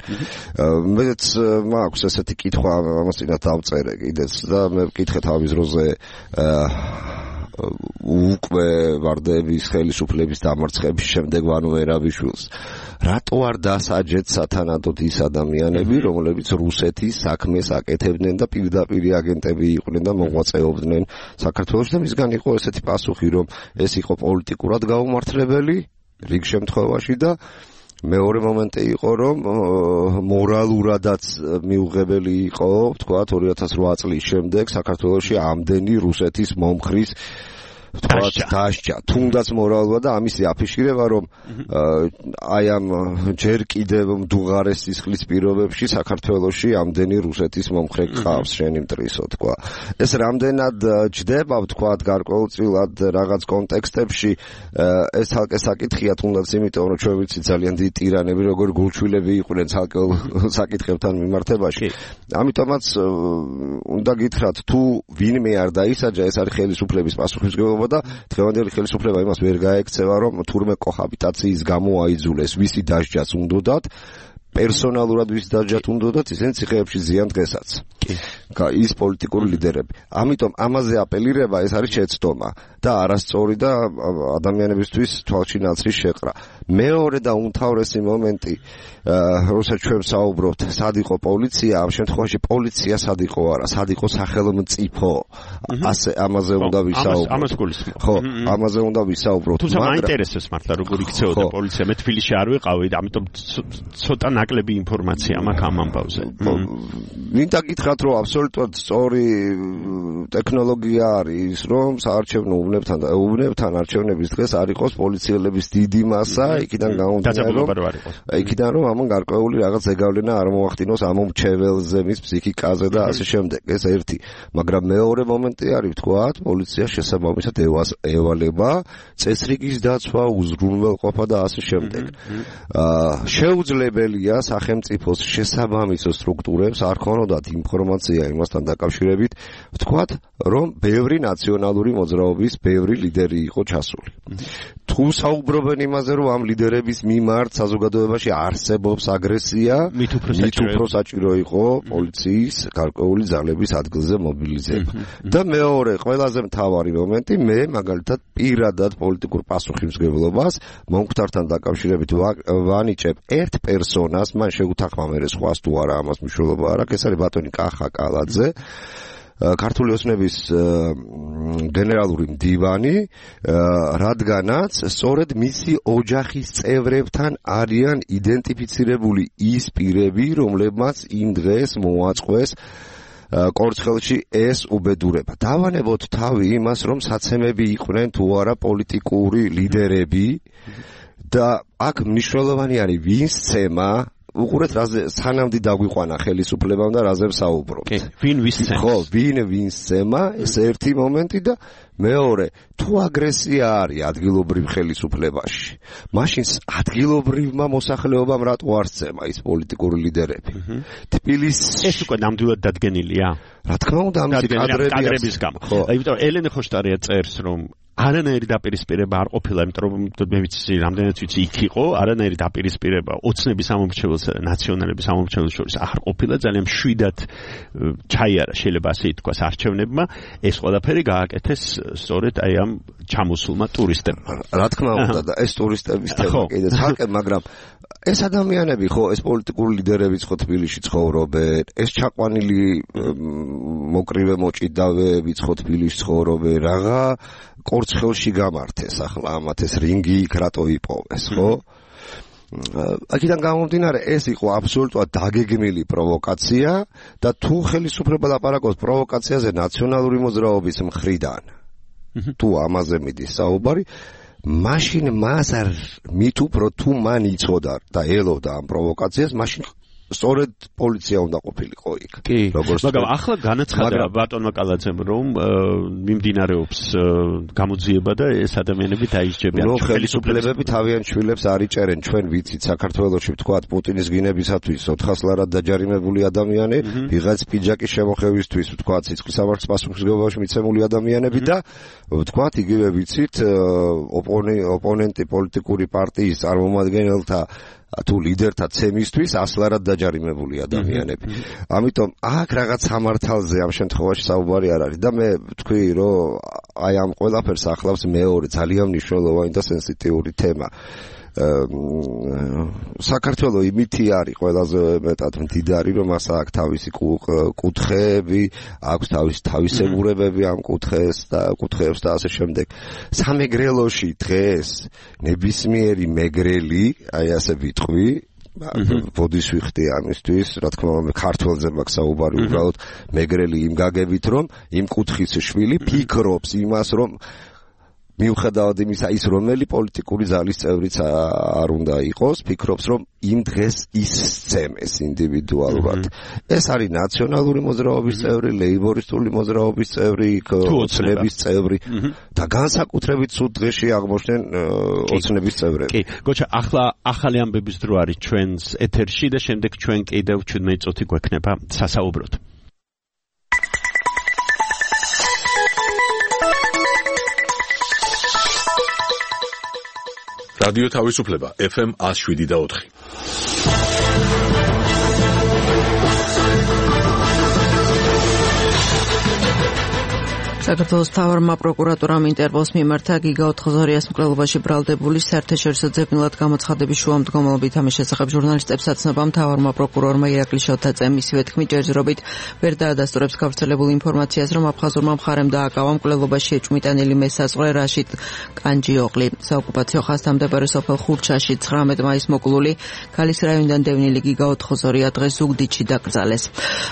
მეც მაქვს ესეთი კითხვა, ამას წინათ დავწერე კიდეც და მე ვკითხე თავის დროზე უკვე ვარდების ხელისუფლების დამარცხების შემდეგ ვანო ერაბიშვილს რატო არ დასაჯეთ სათანადოდ ის ადამიანები, რომლებიც რუსეთის საქმეს აკეთებდნენ და პირდაპირ აგენტები იყვნენ და მოღვაწეობდნენ საქართველოში და მისგან იყო ესეთი პასუხი, რომ ეს იყო პოლიტიკურად გაუმართლებელი რიგ შემთხვევაში და მეორე მომენტი იყო, რომ მორალურადაც მიუღებელი იყო, თქვათ 2008 წლის შემდეგ საქართველოში ამდენი რუსეთის მომხრის დასჯა, თუნდაც მორალურად და ამისი აფიშირება, რომ აი ამ ჯერ კიდევ მდუღარეს სისხლის პირობებში საქართველოში ამდენი რუსეთის მომხრე გყავს, შენი მტრისო, თქვა. ეს რამდენად ჯდება, თქვათ, გარკვეულწილად რაღაც კონტექსტებში, ეს თალკე საკითხია, თუნდაც იმიტომ, რომ ჩვენ ვიცით ძალიან დიდი ტირანები, როგორ გულჩვილები იყვნენ ცალკეულ საკითხებთან მიმართებაში. ამიტომაც უნდა გითხრათ, თუ ვინმე არ დაისაჯა, ეს არის ხელისუფლების პასუხისმგებლობა და დღევანდელი ხელისუფლება იმას ვერ გაექცევა, რომ თურმე კოჰაბიტაციის გამო აიძულეს ვისი დასჯაც უნდოდათ, პერსონალურად ვის დასჯათ უნდოდათ, ისინი ციხეებში ზიან დღესაც. ის პოლიტიკური ლიდერები. ამიტომ ამაზე აპელირება ეს არის შეცდომა და არასწორი და ადამიანებისთვის თვალში ნაცრის შეყრა. მეორე და უმთავრესი მომენტი, როცა ჩვენ საუბრობთ, სად იყო პოლიცია, ამ შემთხვევაში პოლიცია სად იყო არა, სად იყო სახელმწიფო. ასე ამაზე უნდა ვისაუბროთ. ამას გულისხმობ. ხო, ამაზე უნდა ვისაუბროთ. თუმცა მაინტერესებს მართლა როგორ იქცეოდა პოლიცია, მე თბილისში არ ვიყავი, ამიტომ ცოტა ნაკლები ინფორმაცია მაქვს ამ ამბავზე. მინდა გითხრათ, რომ აბსოლუტურად სწორი ტექნოლოგია არის, რომ საარჩევნო უბნებთან არჩევნების დღეს არ იყოს პოლიციელების დიდი მასა, იქიდან რომ ამან გარკვეული რაღაც ზეგავლენა არ მოახდინოს ამ მრჩეველზე, მის ფსიქიკაზე და ასე შემდეგ. ეს ერთი, მაგრამ მეორე მომენტი არის, თქვათ, პოლიცია შესაბამისად ევალება წესრიგის დაცვა, უზრუნველყოფა და ასე შემდეგ. შეუძლებელია სახელმწიფოს შესაბამისო სტრუქტურებს არ ქონოდათ ინფორმაცია იმასთან დაკავშირებით, ვთქვათ, რომ ბევრი ნაციონალური მოძრაობის ბევრი ლიდერი იყო ჩასული. თუ საუბრობენ იმაზე, რომ ამ ლიდერების მიმართ საზოგადოებაში არსებობს აგრესია, მით უფრო საჭირო იყო პოლიციის გარკვეული ძალების ადგილზე მობილიზება. და მეორე, ყველაზე მთავარი მომენტი, მე მაგალითად პირადად პოლიტიკურ პასუხისმგებლობას მომხდართან დაკავშირებით ვანიჭებ ერთ პერსონას, მან შეუთანხმა მე სხვას თუ არა ამას მნიშვნელობა არ აქვს, ეს არის ბატონი კახა კალაძე, ქართული ოცნების გენერალური მდივანი, რადგანაც სწორედ მისი ოჯახის წევრებთან არიან იდენტიფიცირებული ის პირები, რომლებმაც იმ დღეს მოაწყვეს კორცხელში ეს უბედურება. დავანებოთ თავი იმას, რომ საცემები იყვნენ თუ არა პოლიტიკური ლიდერები და აქ მნიშვნელოვანი არის ვინს ცემა, უყურეთ რაზე სანამდე დაგვიყვანა ხელისუფლებამ და რაზე ვსაუბრობთ. ვინ ვისცემს? ხო, ვინ ვისცემა, ეს ერთი მომენტი და მეორე, თუ აგრესია არის ადგილობრივ ხელისუფლებაში, მაშინ ადგილობრივმა მოსახლეობამ რატო არ სცემა ის პოლიტიკური ლიდერები? თბილისში ეს უკვე ნამდვილად დადგენილია? რა თქმა უნდა, ამის კადრების გამო. იმიტომ ელენე ხოშტარია წერს, რომ არანაირი დაპირისპირება არ ყოფილა, იმიტომ რომ მე ვიცი, რამდენად ვიცი, იქ იყო არანაირი დაპირისპირება ოცნების სამომრჩეველსა და ნაციონალების სამომრჩეველს შორის არ ყოფილა, ძალიან მშვიდად ჩაიარა, შეიძლება ასე ითქვას, არჩევნებმა, ეს ყველაფერი გააკეთეს სწორედ აი ამ ჩამოსულმა ტურისტებმა. რა თქმა უნდა, და ეს ტურისტების თემა კიდე ცალკე, მაგრამ ეს ადამიანები ხო, ეს პოლიტიკური ლიდერებიც ხო თბილისში ცხოვრობენ, ეს ჩაყვანილი მოკრივე მოჭიდავეებიც ხო თბილისში ცხოვრობენ, რაღა კორცხელში გამართეს ახლა ამათ ეს რინგი იქ რატო იპოვეს, ხო? აქედან გამომდინარე, ეს იყო აბსოლუტურად დაგეგმილი პროვოკაცია და თუ ხელისუფლება ლაპარაკობს პროვოკაციაზე ნაციონალური მოძრაობის მხრიდან, თუ ამაზე მიდის საუბარი, მაშინ მას არ მით უფრო თუ მან იცოდა და ელოდა ამ პროვოკაციას, მაშინ სწორედ პოლიცია უნდა ყოფილიყო იქ. კი, მაგრამ ახლა განაცხადა ბატონმა კალაძემ, რომ მიმდინარეობს გამოძიება და ეს ადამიანები დაისჯებიან. ხელისუფლებები თავიანთ შვილებს არ იჭერენ, ჩვენ ვიცით საქართველოში ვთქვათ პუტინის გინებისათვის 400 ლარად დაჯარიმებული ადამიანი, ვიღაც პიჯაკის შემოხევისთვის ვთქვათ სიცხისავარს პასუხისმგებლობაში მიცემული ადამიანები და ვთქვათ იგივე ვიცით ოპონენტი პოლიტიკური პარტიის წარმომადგენელთა თუ ლიდერთა ცემისთვის ასლარად დაჯარიმებული ადამიანები. ამიტომ აქ რაღაც სამართალზე ამ შემთხვევაში საუბარი არ არის და მე ვთქვი, რომ აი ამ ყველაფერს ახლავს მეორე ძალიან მნიშვნელოვანი და სენსიტიური თემა. საქართველო იმითი არის ყველაზე მეტად მდიდარი, რომ მას აქვს თავისი კუთხეები, აქვს თავისი თავისებურებები ამ კუთხეებს და ასე შემდეგ. სამეგრელოში დღეს ნებისმიერი მეგრელი, აი ასე ვიტყვი, ბოდის ვიხდი ამისთვის, რა თქმა უნდა, ქართველზე მაქვს საუბარი, უბრალოდ მეგრელი იმ გაგებით, რომ იმ კუთხის შვილი ფიქრობს იმას, რომ მიუხედავად იმისა, ის რომელი პოლიტიკური ძალის წევრიც არ უნდა იყოს, ფიქრობს, რომ იმ დღეს ისცემეს ინდივიდუალურად. ეს არის ნაციონალური მოძრაობის წევრი, ლეიბორისტული მოძრაობის წევრი, ოცნების წევრი და განსაკუთრებით სულ დღეში აღმოჩნდნენ ოცნების წევრები. კი, გოჩა, ახლა ახალი ამბების დრო არის ჩვენს ეთერში და შემდეგ ჩვენ კიდევ 17 წუთი გვექნება სასაუბროდ. რადიო თავისუფლება FM 107.4. საქართველოს მთავარმა პროკურატურამ ინტერპოლს მიმართა გიგა ოთხოზორიას მკვლელობაში ბრალდებული საერთაშორისო ძებნელად გამოცხადების შუამდგომლობით. ამის შესახებ ჟურნალისტებს აცნობა მთავარმა პროკურორმა ირაკლი შოთაძემ. მისივე თქმით, ჯერჯერობით ვერ დაადასტურებს გავრცელებულ ინფორმაციას, რომ აფხაზურმა მხარემ დააკავა მკვლელობაში ეჭვმიტანილი მესაზღვრე რაშიდ კანჯიოღლი. საოკუპაციო ხაზთამდებარე სოფელ ხურჩაში 19 მაისს მოკლული ქალის რაიონიდან დევნილი გიგა ოთხოზორია დღეს ზუგდიდში დაკრძალეს.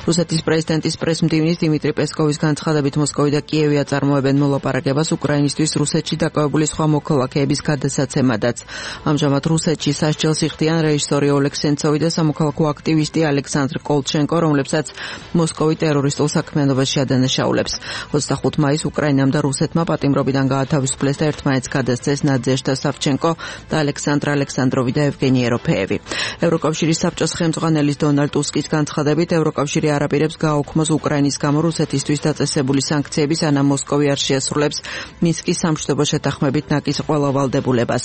რუსეთის პრეზიდენტის პრესმდივნის დიმიტრი პესკოვის განცხადებით მოსკოვი და კიევი აწარმოებენ მოლაპარაკებას უკრაინისთვის რუსეთში დაკავებული სხვა მოქალაქეების გადასაცემადაც. ამჟამად რუსეთში სასჯელს იხდიან რეჟისორი ოლეგ სენცოვი და სამოქალაქო აქტივისტი ალექსანდრ კოლჩენკო, რომლებსაც მოსკოვი ტერორისტულ საქმიანობაში ადანაშაულებს. 25 მაისს უკრაინამ და რუსეთმა პატიმრობიდან გაათავისუფლეს და ერთმანეთს გადასცეს ნადეჟდა სავჩენკო და ალექსანდრ ალექსანდროვი და ევგენი ეროფეევი. ევროკავშირის საბჭოს ხელმძღვანელის დონალდ ტუსკის განცხადებით, ევროკავშირი არ აპირებს გააუქმოს უკრაინის გამო რუსეთისთვის დაწესებული სანქციების მოსკოვი არ შეასრულებს მინსკის სამშვიდობო შეთანხმებით ნაკის ყველა ვალდებულებას.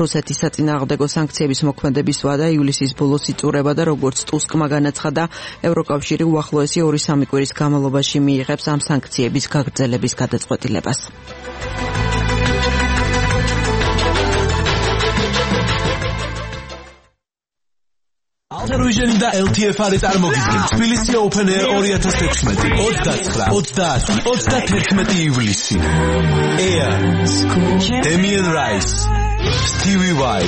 რუსეთის საწინააღმდეგო სანქციების მოქმედების ვადა ივლისის ბოლოს იწურება და როგორც ტუსკმა განაცხადა, ევროკავშირი უახლოესი 2-3 კვირის განმავლობაში მიიღებს ამ სანქციების გაგრძელების გადაწყვეტილებას. Alter-Vision და LTFR-ი წარმოგიდგენ თბილისი Open Air 2016 29-31 ივლისი. Air, Damien Rice, Stevie Vai,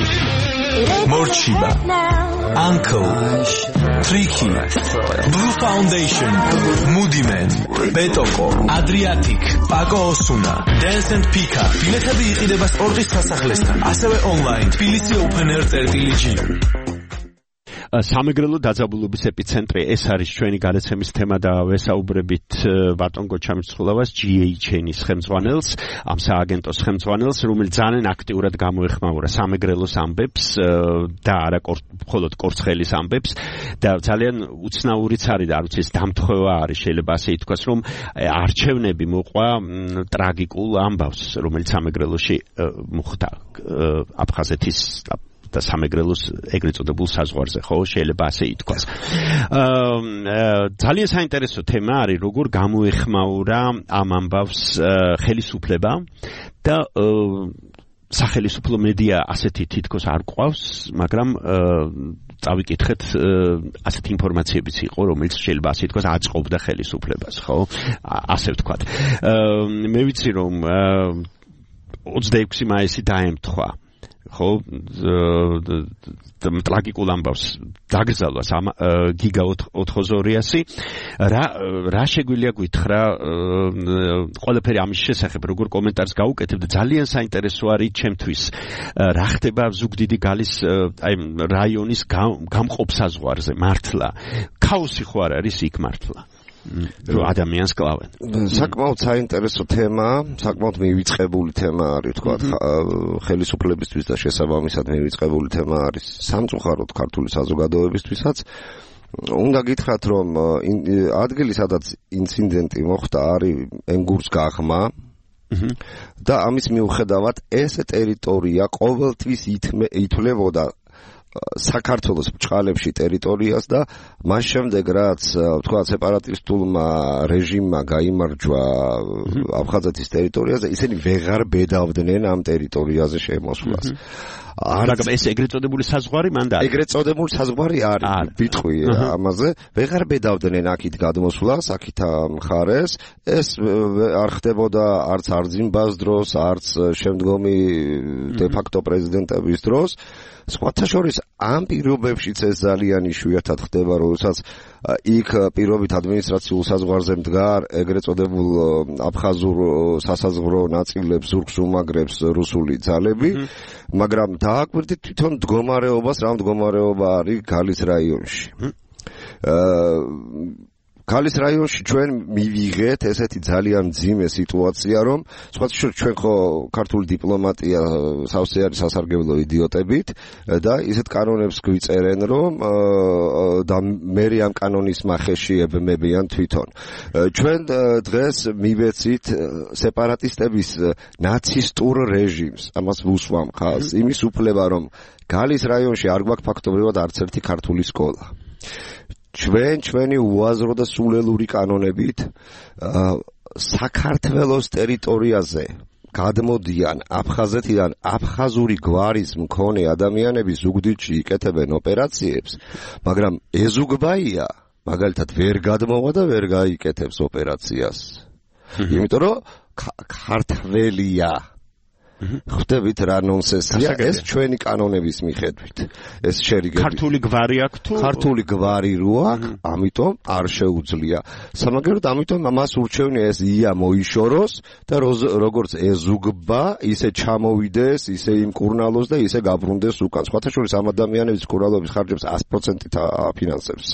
Morchiba, Uncle, Tricky, Blue Foundation, Moody Man, Betoko, Adriatic, Paco Osuna, Dance and Pika. ბილეთები იყიდება სპორტის სასახლესთან, ასევე online თბილისი Open Air.gr. სამეგრელო დაძაბულობის ეპიცენტრი ეს არის ჩვენი გადაცემის თემა და ვესაუბრებით ბატონ გოჩამისხულავას GHN-ის ხელმძღვანელს, ამ სააგენტოს ხელმძღვანელს, რომელიც ძალიან აქტიურად გამოეხმაურა სამეგრელოს ამბებს და არა მხოლოდ კორცხელის ამბებს და ძალიან უცნაურიც არის და არ ვიცი ეს დამთხოვა არის, შეიძლება ასე ითქვას, რომ არჩევნები მოყვა ტრაგიკულ ამბავს, რომელიც სამეგრელოში მოხდა აფხაზეთის და სამეგრელოს ეგრეთ წოდებულ საზღვარზე, ხო, შეიძლება ასე ითქვას. ძალიან საინტერესო თემა არის, როგორ გამოეხმაურა ამ ამბავს ხელისუფლება და სახელმწიფო მედია ასეთი თითქოს არ გვყავს, მაგრამ წავიკითხეთ ასეთი ინფორმაციებიც იყო, რომელიც შეიძლება ასე ითქვას აწყობდა ხელისუფლებას, ხო? ასე ვთქვათ. მე ვიცი რომ 26 მაისი დაემთხვა ხო ტრაგიკულ ამბავს დაგრძალვას გიგა ოთხოზორიასი რა შეგვიძლია გითხრა ყველაფერი ამის შესახებ როგორ კომენტარს გაუკეთებ და ძალიან საინტერესო არის ჩემთვის რა ხდება ზუგდიდი გალის აი რაიონის გამყოფ საზღვარზე მართლა ქაოსი ხო არ არის იქ მართლა რომ ადამიანს კლავენ. საკმაოდ საინტერესო თემაა, საკმაოდ მივიწყებული თემა არის, თქვა, ხელისუფლებისთვის და შესაბამისად მივიწყებული თემა არის სამწუხაროდ ქართული საზოგადოებისთვისაც. უნდა გითხრათ, რომ ადგილი, სადაც ინციდენტი მოხდა, არის ენგურს გაღმა და ამის მიუხედავად ეს ტერიტორია ყოველთვის ითვლებოდა საქართველოს ბჭყალებში ტერიტორიას და მას შემდეგ რაც თქვა სეპარატისტულმა რეჟიმმა გაიმარჯვა აფხაზეთის ტერიტორიაზე, ისინი ვეღარ ბედავდნენ ამ ტერიტორიაზე შემოსვლას. მაგრამ ეს ეგრეთ წოდებული საზღვარი მანდ არის. ეგრეთ წოდებული საზღვარი არის. ვიტყვი ამაზე, ვეღარ ბედავდნენ აქით გადმოსვლას, აქით მხარეს. ეს არ ხდებოდა არც არძიმბას დროს, არც შემდგომი დე ფაქტო პრეზიდენტების დროს. სხვათა შორის ამ პირობებშიც ეს ძალიან იშვიათად ხდება, როდესაც იქ პირობით ადმინისტრაციულ საზღვარზე მდგარ ეგრეთ წოდებულ აფხაზურ სასაზღვრო ნაწილებს ზურგს უმაგრებს რუსული ძალები, მაგრამ დააკვირდით თვითონ მდგომარეობას, რა მდგომარეობა არის გალის რაიონში. გალის რაიონში ჩვენ მივიღეთ ესეთი ძალიან მძიმე სიტუაცია, რომ სხვათა ჩვენ ხო ქართული დიპლომატია სავსე არის სასარგებლო იდიოტებით და ისეთ კანონებს გვიწერენ, რომ და მე ამ კანონის მახეში ებმებიან თვითონ. ჩვენ დღეს მივეცით სეპარატისტების ნაცისტურ რეჟიმს, ამას ვუსვამ ხალხს, იმის უფლება, რომ გალის რაიონში არ გვაქვს ფაქტობრივად არც ერთი ქართული სკოლა. ჩვენი უაზრო და სულელური კანონებით საქართველოს ტერიტორიაზე გადმოდიან აფხაზეთიდან აფხაზური გვარის მქონე ადამიანები ზუგდიდში იკეთებენ ოპერაციებს, მაგრამ ეზუგბაია მაგალითად ვერ გადმოვა და ვერ გაიკეთებს ოპერაციას. იმიტომ რომ ქართველია. ხვდებით რა ნონსენსია ეს ჩვენი კანონების მიხედვით. ეს შერიგები. ქართული გვარი აქვს თუ? ქართული გვარი რო აქვს, ამიტომ არ შეუძლია. სამაგეროდ ამიტომ ამას ურჩევნია ეს ია მოიშოროს და როგორც ეზუგბა, ისე ჩამოვიდეს, ისე იმკურნალოს და ისე გაბრუნდეს უკან. სხვათა შორის ამ ადამიანების კურნალობის ხარჯებს 100% აფინანსებს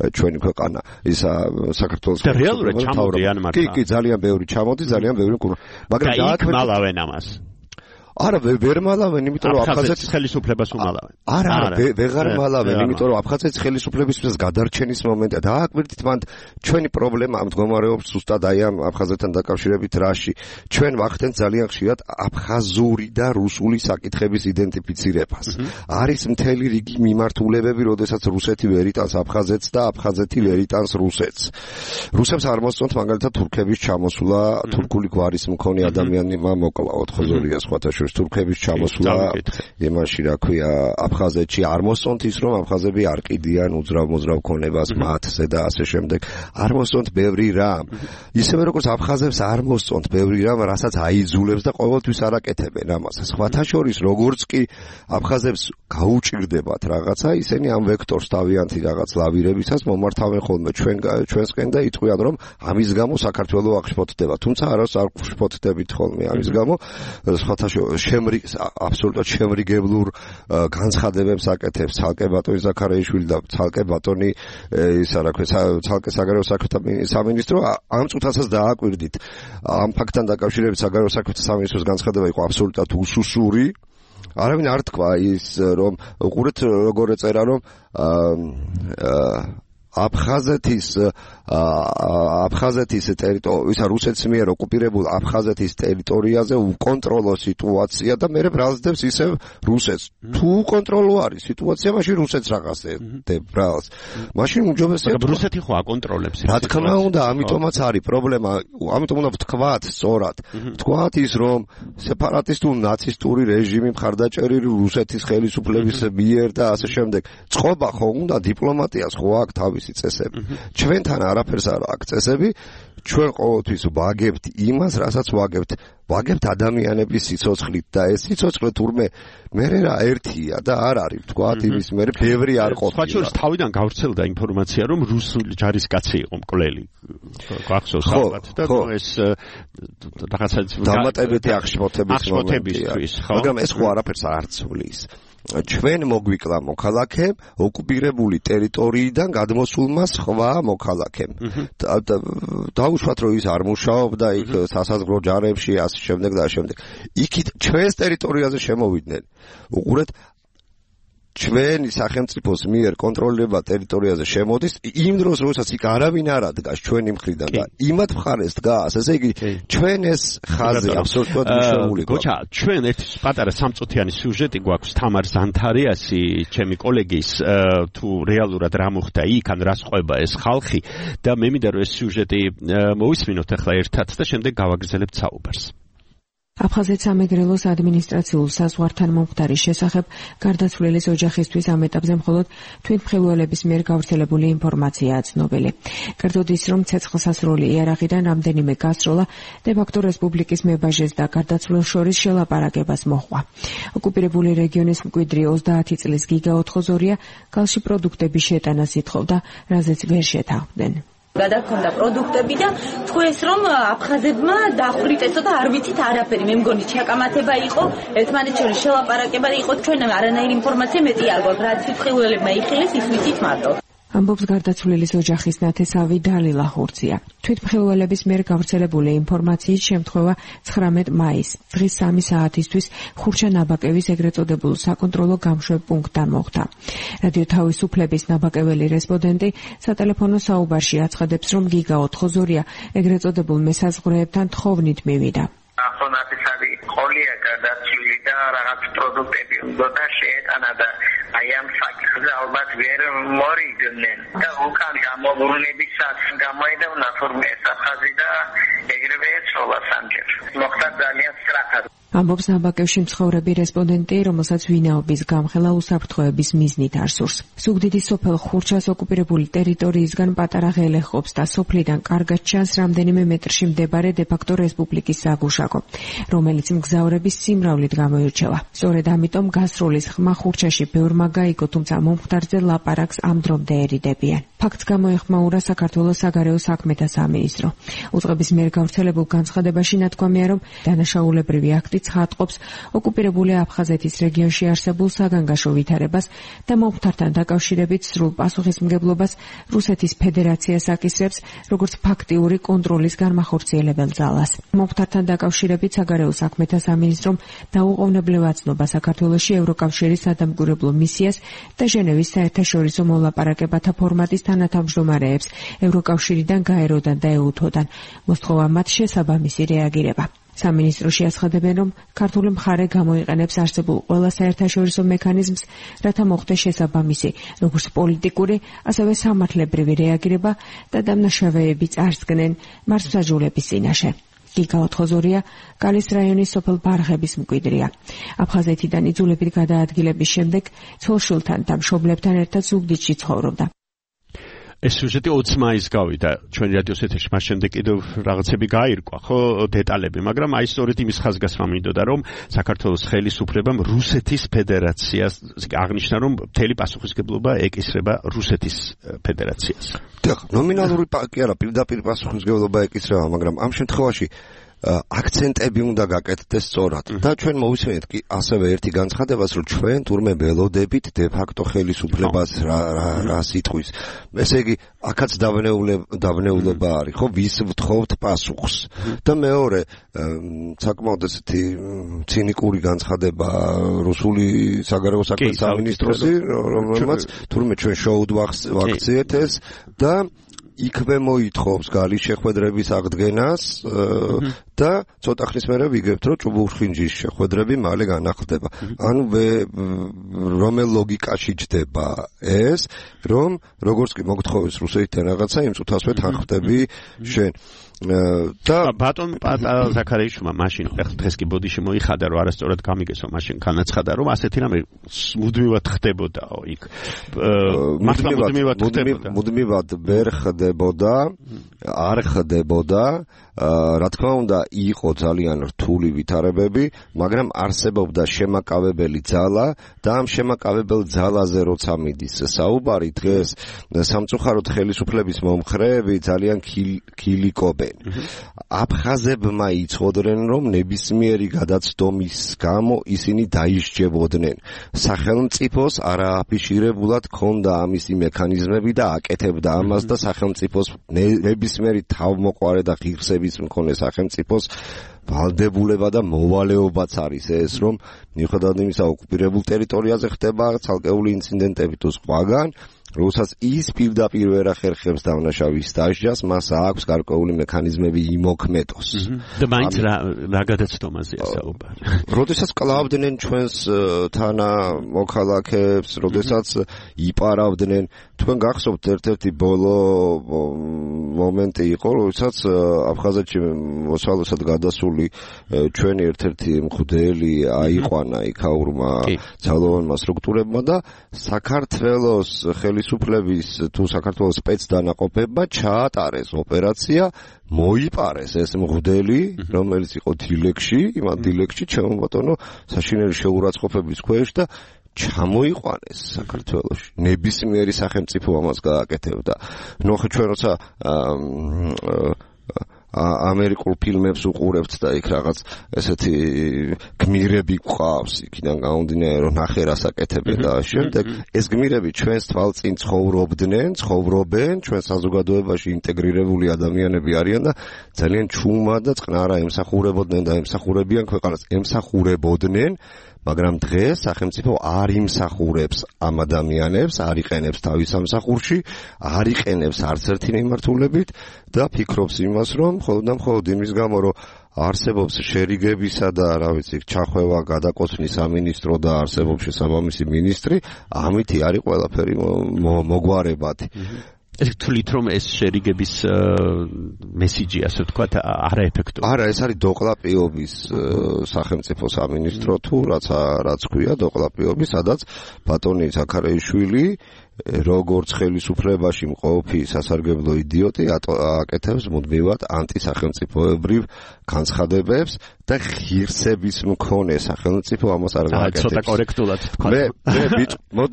ჩვენი ქვეყანა. ისა საქართველოს რეალურად ჩამოდიან მართლა. კი, ძალიან ბევრი ჩამოდის, ძალიან ბევრი კურნალობს. მაგრამ დააკვირდით ამას. არა ვერ მალავენ, იმიტომ რომ აფხაზეთის ხელისუფლებას უმალავენ. არა, ვეღარ მალავენ, იმიტომ რომ აფხაზეთის ხელისუფლებისთვის გადარჩენის მომენტია. დააკვირდით მანდ ჩვენი პრობლემა ამ მდგომარეობს ზუსტად აი ამ აფხაზეთთან დაკავშირებით რაში. ჩვენ ვახდენთ ძალიან ხშირად აფხაზური და რუსული საკითხების იდენტიფიცირებას. არის მთელი რიგი მიმართულებები, როდესაც რუსეთი ვერ იტანს აფხაზეთს და აფხაზეთი ვერ იტანს რუსეთს. რუსებს არ მოსწონთ მაგალითად თურქების ჩამოსვლა, თურქული გვარის მქონე ადამიანებმა მოკლა 4 სხვათა თურქების ჩამოსვლა იმაში რა ქვია აფხაზეთში არ მოსწონთ ის რომ აფხაზები არ ყიდიან უძრავ ქონებას მათზე და ასე შემდეგ არ მოსწონთ ბევრი რამ ისევე როგორც აფხაზებს არ მოსწონთ ბევრი რამ რასაც აიძულებს და ყოველთვის არაკეთებენ ამას სხვათა შორის როგორც კი აფხაზებს გაუჭირდებათ რაღაცა ისინი ამ ვექტორს თავიანთი რაღაც ლავირებისას მომართავენ ხოლმე ჩვენსკენ და იტყვიან რომ ამის გამო საქართველოს აღშფოთდება თუმცა არას არ გშფოთდებით ხოლმე ამის გამო სხვათა აბსოლუტურად შემრიგებლურ განცხადებებს აკეთებს ცალკე ბატონი ზაქარაიშვილი და ცალკე ბატონი ისა რა ქვია ცალკე საგარეო საქმეთა სამინისტრო ამ წუთასაც დააკვირდით ამ ფაქტთან დაკავშირებით საგარეო საქმეთა სამინისტროს განცხადება იყო აბსოლუტურად უსუსური არავინ არ თქვა ის რომ უყურეთ როგორ ეწერა რომ აფხაზეთის ტერიტორია რუსეთის მიერ ოკუპირებულ აფხაზეთის ტერიტორიაზე უკონტროლო სიტუაცია და მე ბრალსდებს ისევ რუსეთს თუ უკონტროლო არის სიტუაცია მაშინ რუსეთს რაღაც ბრალს მაშინ უმჯობესია რუსეთი ხო აკონტროლებს რა თქმა უნდა ამიტომაც არის პრობლემა ამიტომ უნდა ვთქვათ სწორად ვთქვათ ის რომ სეპარატისტული ნაცისტური რეჟიმი მხარდაჭერილი რუსეთის ხელისუფლების მიერ და ასე შემდეგ წყობა ხო უნდა დიპლომატიას ხო აქვს თავისი წესები ჩვენთან არაფერს არ აქვს წესები ჩვენ ყოველთვის ვაგებთ იმას რასაც ვაგებთ ადამიანების სიცოცხლით და ეს სიცოცხლე თურმე მე რა ერთია და არ არის ვთქვათ იმის მე ბევრი არ ყოფილა სხვა შორის თავიდან გავრცელდა ინფორმაცია რომ რუსული ჯარისკაცი იყო მკვლელი გახსოვს ალბათ და ეს რაღაცა დამატებითი აღშფოთებისთვის მაგრამ ეს ხო არაფერს არ ცვლის ჩვენ მოგვიკლა მოქალაქემ ოკუპირებული ტერიტორიიდან გადმოსულმა სხვა მოქალაქემ დაუშვათ რომ ის არ მუშაობდა იქ სასაზღვრო ჯარებში ასე შემდეგ და ამ შემდეგ იქით ჩვენს ტერიტორიაზე შემოვიდნენ უყურეთ ჩვენი სახელმწიფოს მიერ კონტროლირება ტერიტორიაზე შემოდის იმ დროს როდესაც იქ არავინ არ ადგას ჩვენი მხრიდან და იმათ მხარეს დგას ესე იგი ჩვენ ეს ხაზი აბსოლუტურად მნიშვნელოვანია გოჩა ჩვენ ერთ პატარა სამწუთიანი სიუჟეტი გვაქვს თამარ ზანთარიასი ჩემი კოლეგის თუ რეალურად რა მოხდა იქ ან რა სწყვება ეს ხალხი და მე მინდა რომ ეს სიუჟეტი მოვისმინოთ ახლა ერთად და შემდეგ გავაგრძელებთ საუბარს აფხაზეთის სამეგრელოს ადმინისტრაციულ საზღვართან მომხდარის შესახებ გარდაცვლილის ოჯახისთვის ამ ეტაპზე მხოლოდ თვითმხილველების მიერ გავრცელებული ინფორმაციაა ცნობილი. კერძოდ ის, რომ ცეცხლსასროლი იარაღიდან რამდენიმე გასროლა დე-ფაქტო რესპუბლიკის მებაჟეს და გარდაცვლილ შორის შელაპარაკებას მოჰყვა. ოკუპირებული რეგიონის მკვიდრი 30 წლის გიგა ოთხოზორია გალში პროდუქტების შეტანას ითხოვდა, რაზეც ვერ შეთანხმდნენ. გადაგქონდა პროდუქტები და თქვენს რომ აფხაზებმა დახვრიტ ესო და არ ვიცით არაფერი მე მგონი ჩაკამათება იყო ერთმანეთს შორის შელაპარაკება იყო ჩვენ არანაირი ინფორმაცია მეტი არ გვაქვს რაც სიტყველებმა იხილეს ის ვიცით მარტო ამბობს გარდაცვლილის ოჯახის ნათესავი დალილა ხურცია. თვითმხილველების მიერ გავრცელებული ინფორმაციის შემთხვევა 19 მაისს დღის 3 საათისთვის ხურჩა ნაბაკევის ეგრეთ წოდებულ საკონტროლო გამშვებ პუნქტთან მოხდა. რადიო თავისუფლების ნაბაკეველი რესპონდენტი სატელეფონო საუბარში აცხადებს, რომ გიგა ოთხოზორია ეგრეთ წოდებულ მესაზღვრეებთან თხოვნით მივიდა. ახონათისარი ყოლია გადაცვლილი და რაღაც პროდუქტები უნდა შეეტანა და აი ამ საკითხზე ალბათ ვერ მორიგდნენ და უკან გამობრუნებისას გამოედევნა თურმე საფხაზი და ეგრევე ეცოლა სამჯერ მოხდა ძალიან სწრაფად ამბობს ნაბაკევში მცხოვრები რესპონდენტი, რომელსაც ვინაობის გამხელა უსაფრთხოების მიზნით არ სურს. ზუგდიდის სოფელ ხურჩას ოკუპირებული ტერიტორიისგან პატარა ღელე ყოფს და სოფლიდან კარგად ჩანს რამდენიმე მეტრში მდებარე დე-ფაქტო რესპუბლიკის საგუშაგო, რომელიც მგზავრების სიმრავლით გამოირჩევა. სწორედ ამიტომ გასროლის ხმა ხურჩაში ბევრმა გაიგო, თუმცა მომხდარზე ლაპარაკს ამ დრომდე ერიდებიან. ფაქტს გამოეხმაურა საქართველოს საგარეო საქმეთა სამინისტრო. უწყების მიერ გავრცელებულ განცხადებაში ნათქვამია, რომ დანაშაულებრივი აქტი ცხადყოფს ოკუპირებული აფხაზეთის რეგიონში არსებულ საგანგაშო ვითარებას და მომხდართან დაკავშირებით სრულ პასუხისმგებლობას რუსეთის ფედერაციას აკისრებს, როგორც ფაქტიური კონტროლის განმახორციელებელ ძალას. მომხდართან დაკავშირებით საგარეო საქმეთა სამინისტრომ დაუყოვნებლივ აცნობა საქართველოში ევროკავშირის სადამკვირვებლო მისიას და ჟენევის საერთაშორისო მოლაპარაკებათა ფორმატის თანათავმჯდომარეებს ევროკავშირიდან, გაეროდან და ეუთოდან. მოსთხოვა მათ შესაბამისი რეაგირება. სამინისტროში აცხადებენ, რომ ქართული მხარე გამოიყენებს არსებულ ყველა საერთაშორისო მექანიზმს, რათა მოხდეს შესაბამისი, როგორც პოლიტიკური, ასევე სამართლებრივი რეაგირება და დამნაშავეები წარსდგნენ მართლმსაჯულების წინაშე. გიგა ოთხოზორია გალის რაიონის სოფელ ბარღების მკვიდრია. აფხაზეთიდან იძულებით გადაადგილების შემდეგ ცოლ-შვილთან და მშობლებთან ერთად ზუგდიდში ცხოვრობდა. ეს სიუჟეტი 20 მაისს გავიდა ჩვენი რადიოს ეთერში, მას შემდეგ კიდევ რაღაცები გაირკვა, ხო, დეტალები, მაგრამ აი სწორედ იმის ხაზგასმა მინდოდა, რომ საქართველოს ხელისუფლებამ რუსეთის ფედერაციას აღნიშნა, რომ მთელი პასუხისმგებლობა ეკისრება რუსეთის ფედერაციას. დიახ, ნომინალური კი არა, პირდაპირ პასუხისმგებლობა ეკისრება, მაგრამ ამ შემთხვევაში აქცენტები უნდა გაკეთდეს სწორად და ჩვენ მოვისმენთ კი ასევე ერთი განცხადებას, რომ ჩვენ თურმე ველოდებით დე-ფაქტო ხელისუფლებას რა სიტყვის. ესე იგი, აქაც დავნეულობა არის, ხო, ვის ვთხოვთ პასუხს. და მეორე, საკმაოდ ესეთი ცინიკური განცხადება რუსული საგარეო საქმეთა სამინისტროსი, რომელმაც თურმე ჩვენ შოუდ ვაქციეთ ეს და იქვე მოითხოვს გალის შეხვედრების აღდგენას და ცოტა ხნის მერე ვიგებთ, რომ ჭუბურხინჯის შეხვედრები მალე განახლდება. ანუ რომელ ლოგიკაში ჯდება ეს, რომ როგორც კი მოგთხოვეს რუსეთიდან რაღაცა, იმ წუთასვე თანხმდები შენ. და ბატონ ზაქარიაშვილმა მაშინ დღეს კი ბოდიში მოიხადა, რომ არასწორად გამიგესო, მაშინ განაცხადა, რომ ასეთი რამე მუდმივად ხდებოდაო იქ. მართლა მუდმივად ხდებოდა. მუდმივად ვერ ხდებოდა, არ ხდებოდა. რა თქმა უნდა, იყო ძალიან რთული ვითარებები, მაგრამ არსებობდა შემაკავებელი ძალა და ამ შემაკავებელ ძალაზე როცა მიდის საუბარი დღეს სამწუხაროდ ხელისუფლების მომხრეები ძალიან ქილიკობენ. აფხაზებმა იცოდნენ, რომ ნებისმიერი გადაცდომის გამო ისინი დაისჯებოდნენ. სახელმწიფოს არააფიშირებულად ჰქონდა ამისი მექანიზმები და აკეთებდა ამას და სახელმწიფოს ნებისმიერი თავმოყარე და ღირსები ხირსების მქონე სახელმწიფოს ვალდებულება და მოვალეობაც არის ეს, რომ მიუხედავად იმისა, ოკუპირებულ ტერიტორიაზე ხდება ცალკეული ინციდენტები თუ სხვაგან, როდესაც ის პირდაპირ ვერ ახერხებს დამნაშავის დასჯას, მას აქვს გარკვეული მექანიზმები იმოქმედოს. და მაინც რა გადაცდომაზეა საუბარი. როდესაც კლავდნენ ჩვენს თანამოქალაქეებს, როდესაც იპარავდნენ, თქვენ გახსოვთ ერთ-ერთი ბოლო მომენტი იყო, როდესაც აფხაზეთში მოსალოსად გადასული ჩვენი ერთ-ერთი მღვდელი აიყვანა იქაურმა ძალოვანმა სტრუქტურებმა და საქართველოს ხელისუფლების თუ საქართველოს სპეცდანაყოფებმა ჩაატარეს ოპერაცია, მოიპარეს ეს მღვდელი, რომელიც იყო დილეგში, იმათ დილეგში ჩემო ბატონო საშინელი შეურაცხყოფების ქვეშ და ჩამოიყვანეს საქართველოში. ნებისმიერი სახელმწიფო ამას გააკეთებდა. ნუ ხო ჩვენ როცა ამერიკულ ფილმებს უყურებთ და იქ რაღაც ესეთი გმირები გვყავს, იქიდან გამომდინარე რომ ნახე რას აკეთებენ და შემდეგ ეს გმირები ჩვენს თვალწინ ცხოვრობენ, ჩვენ საზოგადოებაში ინტეგრირებული ადამიანები არიან და ძალიან ჩუმა და წყნარა ემსახურებოდნენ და ემსახურებიან ქვეყანას, ემსახურებოდნენ, მაგრამ დღეს სახელმწიფო არ იმსახურებს ამ ადამიანებს, არ იყენებს თავის სამსახურში, არ იყენებს არც ერთი მიმართულებით და ფიქრობს იმას, რომ მხოლოდ იმის გამო, რომ არსებობს შერიგებისა და რა ვიცი, ჩახვევა, გადაკოცნის სამინისტრო და არსებობს შესაბამისი მინისტრი, ამითი არის ყველაფერი მოგვარებადი. ეს თვლით რომ ეს შერიგების მესიჯი ასე ვთქვათ არაეფექტური. არა, ეს არის დოყლაპიობის სახელმწიფო სამინისტრო თუ რაც ქვია დოყლაპიობის, სადაც ბატონი ზაქარეიშვილი როგორც ხელისუფლებაში მყოფი სასარგებლო იდიოტი აკეთებს მუდმივად ანტისახელმწიფოებრივ განცხადებებს და ღირსების მქონე სახელმწიფო ამას არ გააკეთებს. ცოტა კორექტულად თქვა.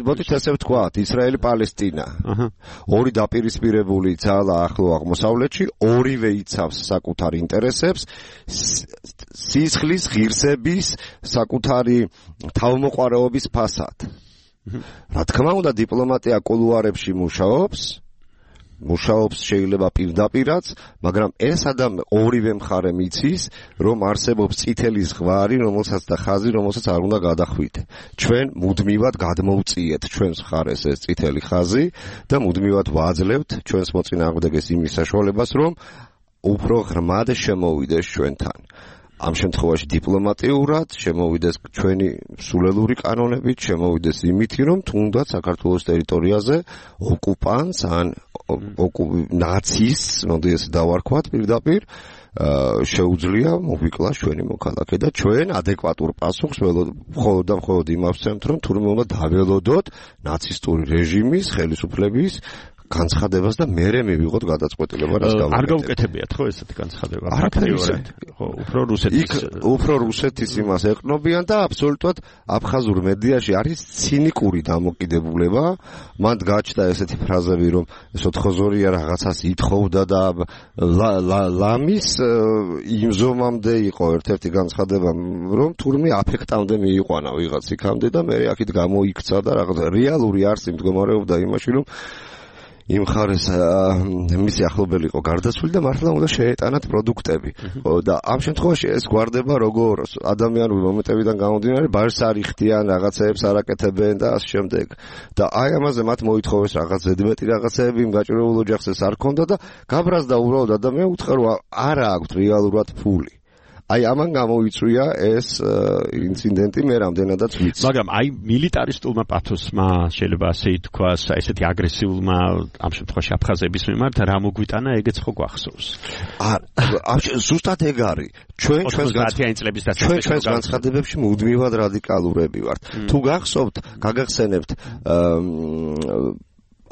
მოდით ესე ვთქვათ, ისრაელი-პალესტინა. ორი დაპირისპირებული ძალა ახლო აღმოსავლეთში, ორივე იცავს საკუთარ ინტერესებს, სისხლის, ღირსების, საკუთარი თავმოყვარეობის ფასად. რა თქმა უნდა დიპლომატია კულუარებში მუშაობს შეიძლება პირდაპირაც, მაგრამ ეს ორივე მხარე მიცის, რომ არსებობს წითელი ზღვარი, რომელსაც და ხაზი, რომელსაც არ უნდა გადახვიდე. ჩვენ მუდმივად გადმოვწიეთ ჩვენს მხარეს ეს წითელი ხაზი და მუდმივად ვაძლევთ ჩვენს მოწინააღმდეგეს იმის საშუალებას, რომ უფრო ღრმად შემოვიდეს ჩვენთან. ამ შემთხვევაში დიპლომატიურად შემოვიდეს ჩვენი სულელური კანონებით, შემოვიდეს იმითი, რომ თუნდაც საქართველოს ტერიტორიაზე ოკუპანტს ან ნაცისტს, მოდი ესე დავარქვათ პირდაპირ, შეუძლია მოგვიკლას ჩვენი მოქალაქე და ჩვენ ადეკვატურ პასუხს მხოლოდ იმას ვცემთ, რომ თურმე უნდა დაველოდოთ ნაცისტური რეჟიმის ხელისუფლების განცხადებას და მერე მივიღოთ გადაწყვეტილება რას გავაკეთებთ. არ გაუკეთებიათ ხო ესეთი განცხადება? ხო, უფრო რუსეთის იმას ეყნობიან და აბსოლუტურად აფხაზურ მედიაში არის ცინიკური დამოკიდებულება. მან გაჩნდა ესეთი ფრაზები, რომ სოთხოზორია რაღაცას ითხოვდა და ლამის იმზომამდე იყო ერთ-ერთი განცხადება, რომ თურმე აფექტამდე მიიყვანა ვიღაც იქამდე და მე აქეთ გამოიქცა და რაღაც რეალური არსი მდგომარეობდა იმაში, რომ იმ ხარეს მისი ახლობელი იყო გარდაცვლილი და მართლა უნდა შეეტანათ პროდუქტები. და ამ შემთხვევაში ეს გვარდება როგორ ადამიანური მომენტებიდან გამომდინარე, ბარს არ იხდიან, რაღაცეებს არ აკეთებენ და ამ შემდეგ. და აი ამაზე მათ მოითხოვეს რაღაც ზედმეტი რაღაცეები, იმ გაჭირებულ ოჯახს ეს არ ქონდა და გაბრაზდა უბრალოდ ადამიანი უთხრა რომ არა აქვთ რეალურად ფული. აი ამან გამოიწვია ეს ინციდენტი მე რამდენადაც ვიცი. მაგრამ აი მილიტარისტულმა პათოსმა შეიძლება ასე ითქვას, ესეთი აგრესიულმა ამ შემთხვევაში აფხაზების მიმართ რა მოგვიტანა, ეგეც ხო გვახსოვს. ზუსტად ეგ არის. ჩვენს განცხადებებში მუდმივად რადიკალურები ვართ. თუ გახსოვთ, გაგახსენებთ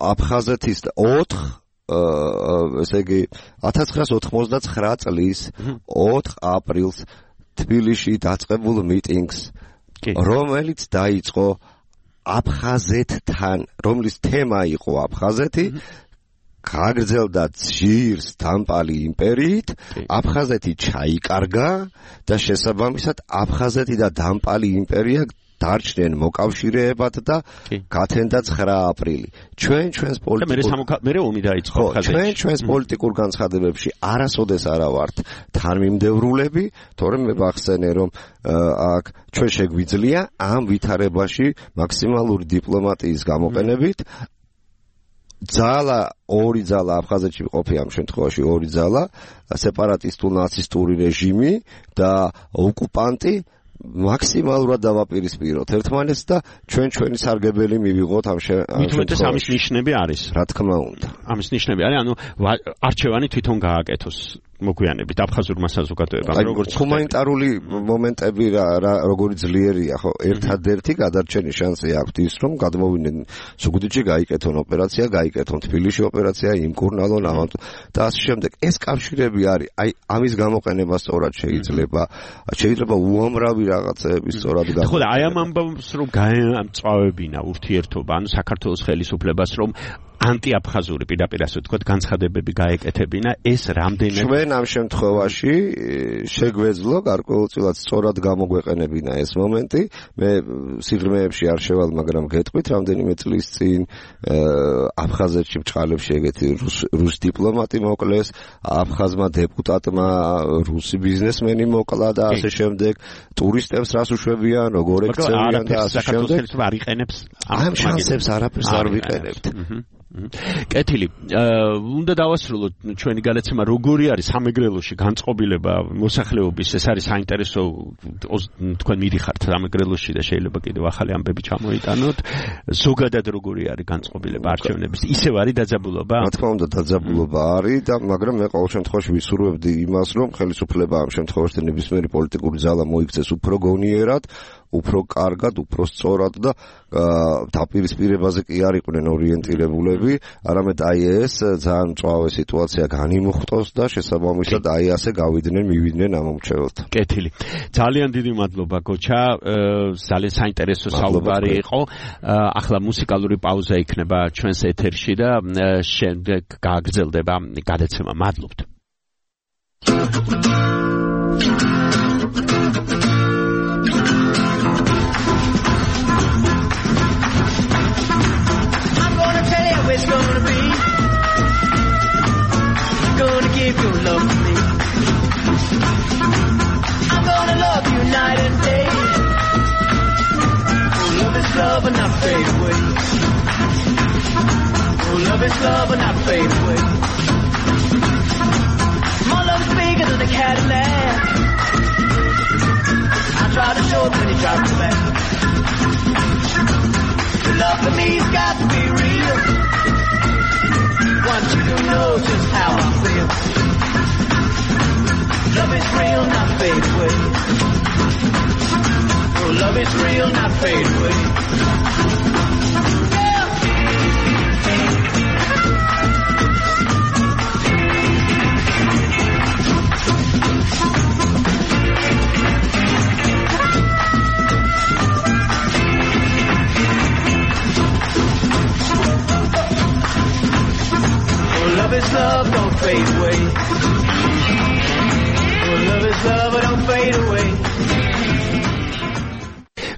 აფხაზეთის 4 ესე იგი 1999 წლის 4 აპრილს თბილისში დაწყებულ მიტინგს, რომელიც დაიწყო აფხაზეთთან, რომლის თემა იყო აფხაზეთი, გაგრძელდა ძირს დამპალი იმპერიით, აფხაზეთი ჩაიკარგა და შესაბამისად აფხაზეთი და დამპალი იმპერია დარჩნენ მოკავშირეებად და გათენდა 9 აპრილი. ჩვენს პოლიტიკურ განცხადებებში არასოდეს არა ვართ თანმიმდევრულები, თორემ მე ვახსენე რომ აქ ჩვენ შეგვიძლია ამ ვითარებაში მაქსიმალური დიპლომატიის გამოყენებით ორი ძალა აფხაზეთში ყოფი ამ შემთხვევაში ორი ძალა სეპარატისტულ-ნაცისტური რეჟიმი და ოკუპანტი მაქსიმალურად დავაპირისპიროთ ერთმანეთს და ჩვენი სარგებელი მივიღოთ ამ შემთხვევაში. ამის ნიშნები არის. რა თქმა უნდა. ამის ნიშნები არის, ანუ არჩევანი თვითონ გააკეთოს მოგვიანებით აფხაზურმა საზოგადოებამ. როგორც ჰუმანიტარული მომენტები როგორი ძლიერია, ხო, ერთადერთი გადარჩენის შანსი აქვს ის, რომ გადმოვიდნენ ზუგდიდში, გაიკეთონ ოპერაცია, გაიკეთონ თბილისში ოპერაცია, იმკურნალონ ამათ და ასე შემდეგ. ეს კავშირები არის, აი ამის გამოყენება სწორად შეიძლება უამრავი რაღაცები სწორად გამოყენება. ხო და აი ამ ამბავს რომ გაემწვავებინა ურთიერთობა, ანუ საქართველოს ხელისუფლებას რომ ანტიაფხაზური პირდაპირ ასე ვთქვათ განცხადებები გაეკეთებინა ეს რამდენად ჩვენ ამ შემთხვევაში შეგვეძლო გარკვეულწილად სწორად გამოგვეყენებინა ეს მომენტი მე სიღრმეებში არ შევალ მაგრამ გეტყვით რამდენიმე წლის წინ აფხაზეთში ბჭყალებში ეგეთი რუს დიპლომატი მოკლეს აფხაზმა დეპუტატმა რუსი ბიზნესმენი მოკლა და ასე შემდეგ ტურისტებს რას უშვებიან როგორ ექცევიან და ასე შემდეგ არ იყენებს ამ შანსებს არაფერს არ ვიყენებთ კეთილი უნდა დავასრულოთ ჩვენი გადაცემა როგორი არის სამეგრელოში განწყობილება მოსახლეობის ეს არის საინტერესო თქვენ მიდიხართ სამეგრელოში და შეიძლება კიდევ ახალი ამბები ჩამოიტანოთ ზოგადად როგორი არის განწყობილება არჩევნების ისევ არის დაძაბულობა რა თქმა უნდა დაძაბულობა არის და მაგრამ მე ყოველ შემთხვევაში ვისურვებდი იმას რომ ხელისუფლება ამ შემთხვევაში ნებისმიერი პოლიტიკური ძალა მოიქცეს უფრო გონიერად უფრო კარგად, უფრო სწორად და დაპირისპირებაზე კი არ იყვნენ ორიენტირებულები, არამედ აი ეს ძალიან მწვავე სიტუაცია განიმუხტოს და შესაბამისად აი ასე მივიდნენ ამ მრჩეველთან. კეთილი. ძალიან დიდი მადლობა გოჩა, ძალიან საინტერესო საუბარი იყო. ახლა მუსიკალური პაუზა იქნება ჩვენს ეთერში და შემდეგ გააგრძელდება გადაცემა. მადლობთ. It's gonna be gonna give your love to me. I'm gonna love you night and day. Oh, love is love and not fade away. Oh, love is love and not fade away. My love is bigger than a Cadillac. I try to show it when you drop the back. Your love for me's got to be real. Want you to know just how I feel. Love is real, not fade away. Oh, love is real, not fade away. Love is love, don't fade away. Oh, love is love, don't fade away.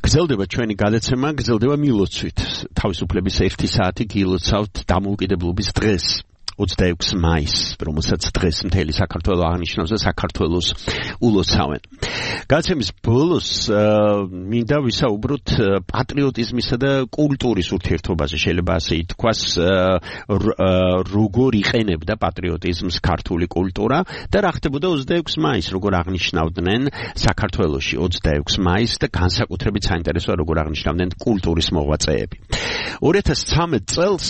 გრძელდება ჩვენი გადაცემა, გრძელდება მილოცვით. თავისუფლების 1 საათი გილოცავთ დამოუკიდებლობის დღეს. 26 მაისს, რომელსაც დღეს მთელი საქართველო აღნიშნავს და საქართველოს ულოცავენ. გადაცემის ბოლოს მინდა ვისაუბროთ პატრიოტიზმისა და კულტურის ურთიერთობაზე, შეიძლება ასე ითქვას, როგორ იყენებდა პატრიოტიზმს ქართული კულტურა და რა ხდებოდა 26 მაისს, როგორ აღნიშნავდნენ საქართველოში 26 მაისს და განსაკუთრებით საინტერესოა როგორ აღნიშნავდნენ კულტურის მოღვაწეები. 2013 წელს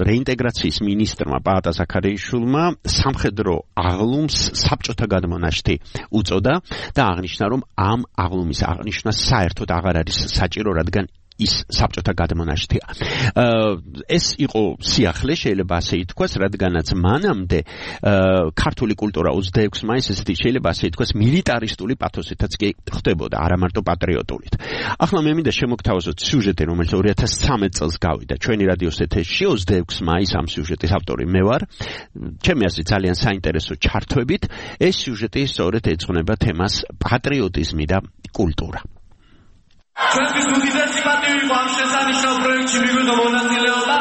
რეინტეგრაციის მინისტრმა პაატა ზაქარიაშვილმა სამხედრო აღლუმს საბჭოთა გადმონაშთი უწოდა და აღნიშნა რომ ამ აღლუმის აღნიშვნა საერთოდ აღარ არის საჭირო რადგან ის საბჭოთა გადმონაშთია. ეს იყო სიახლე, შეიძლება ასე ითქვას, რადგანაც მანამდე ქართული კულტურა 26 მაისს ესეთი შეიძლება ასე ითქვას მილიტარისტული პათოსითაც კი ხდებოდა, არა მარტო პატრიოტულით. ახლა მე მინდა შემოგთავაზოთ სიუჟეტი, რომელიც 2013 წელს გავიდა ჩვენი რადიოს ეთერში 26 მაისს ამ სიუჟეტის ავტორი მე ვარ. ჩემი აზრით ძალიან საინტერესო ჩართვებით ეს სიუჟეტი სწორედ ეძღვნება თემას პატრიოტიზმი და კულტურა. ჩვენთვის უდიდესი პატივი იყო ამ შესანიშნავ პროექტში მივიღო მონაწილეობა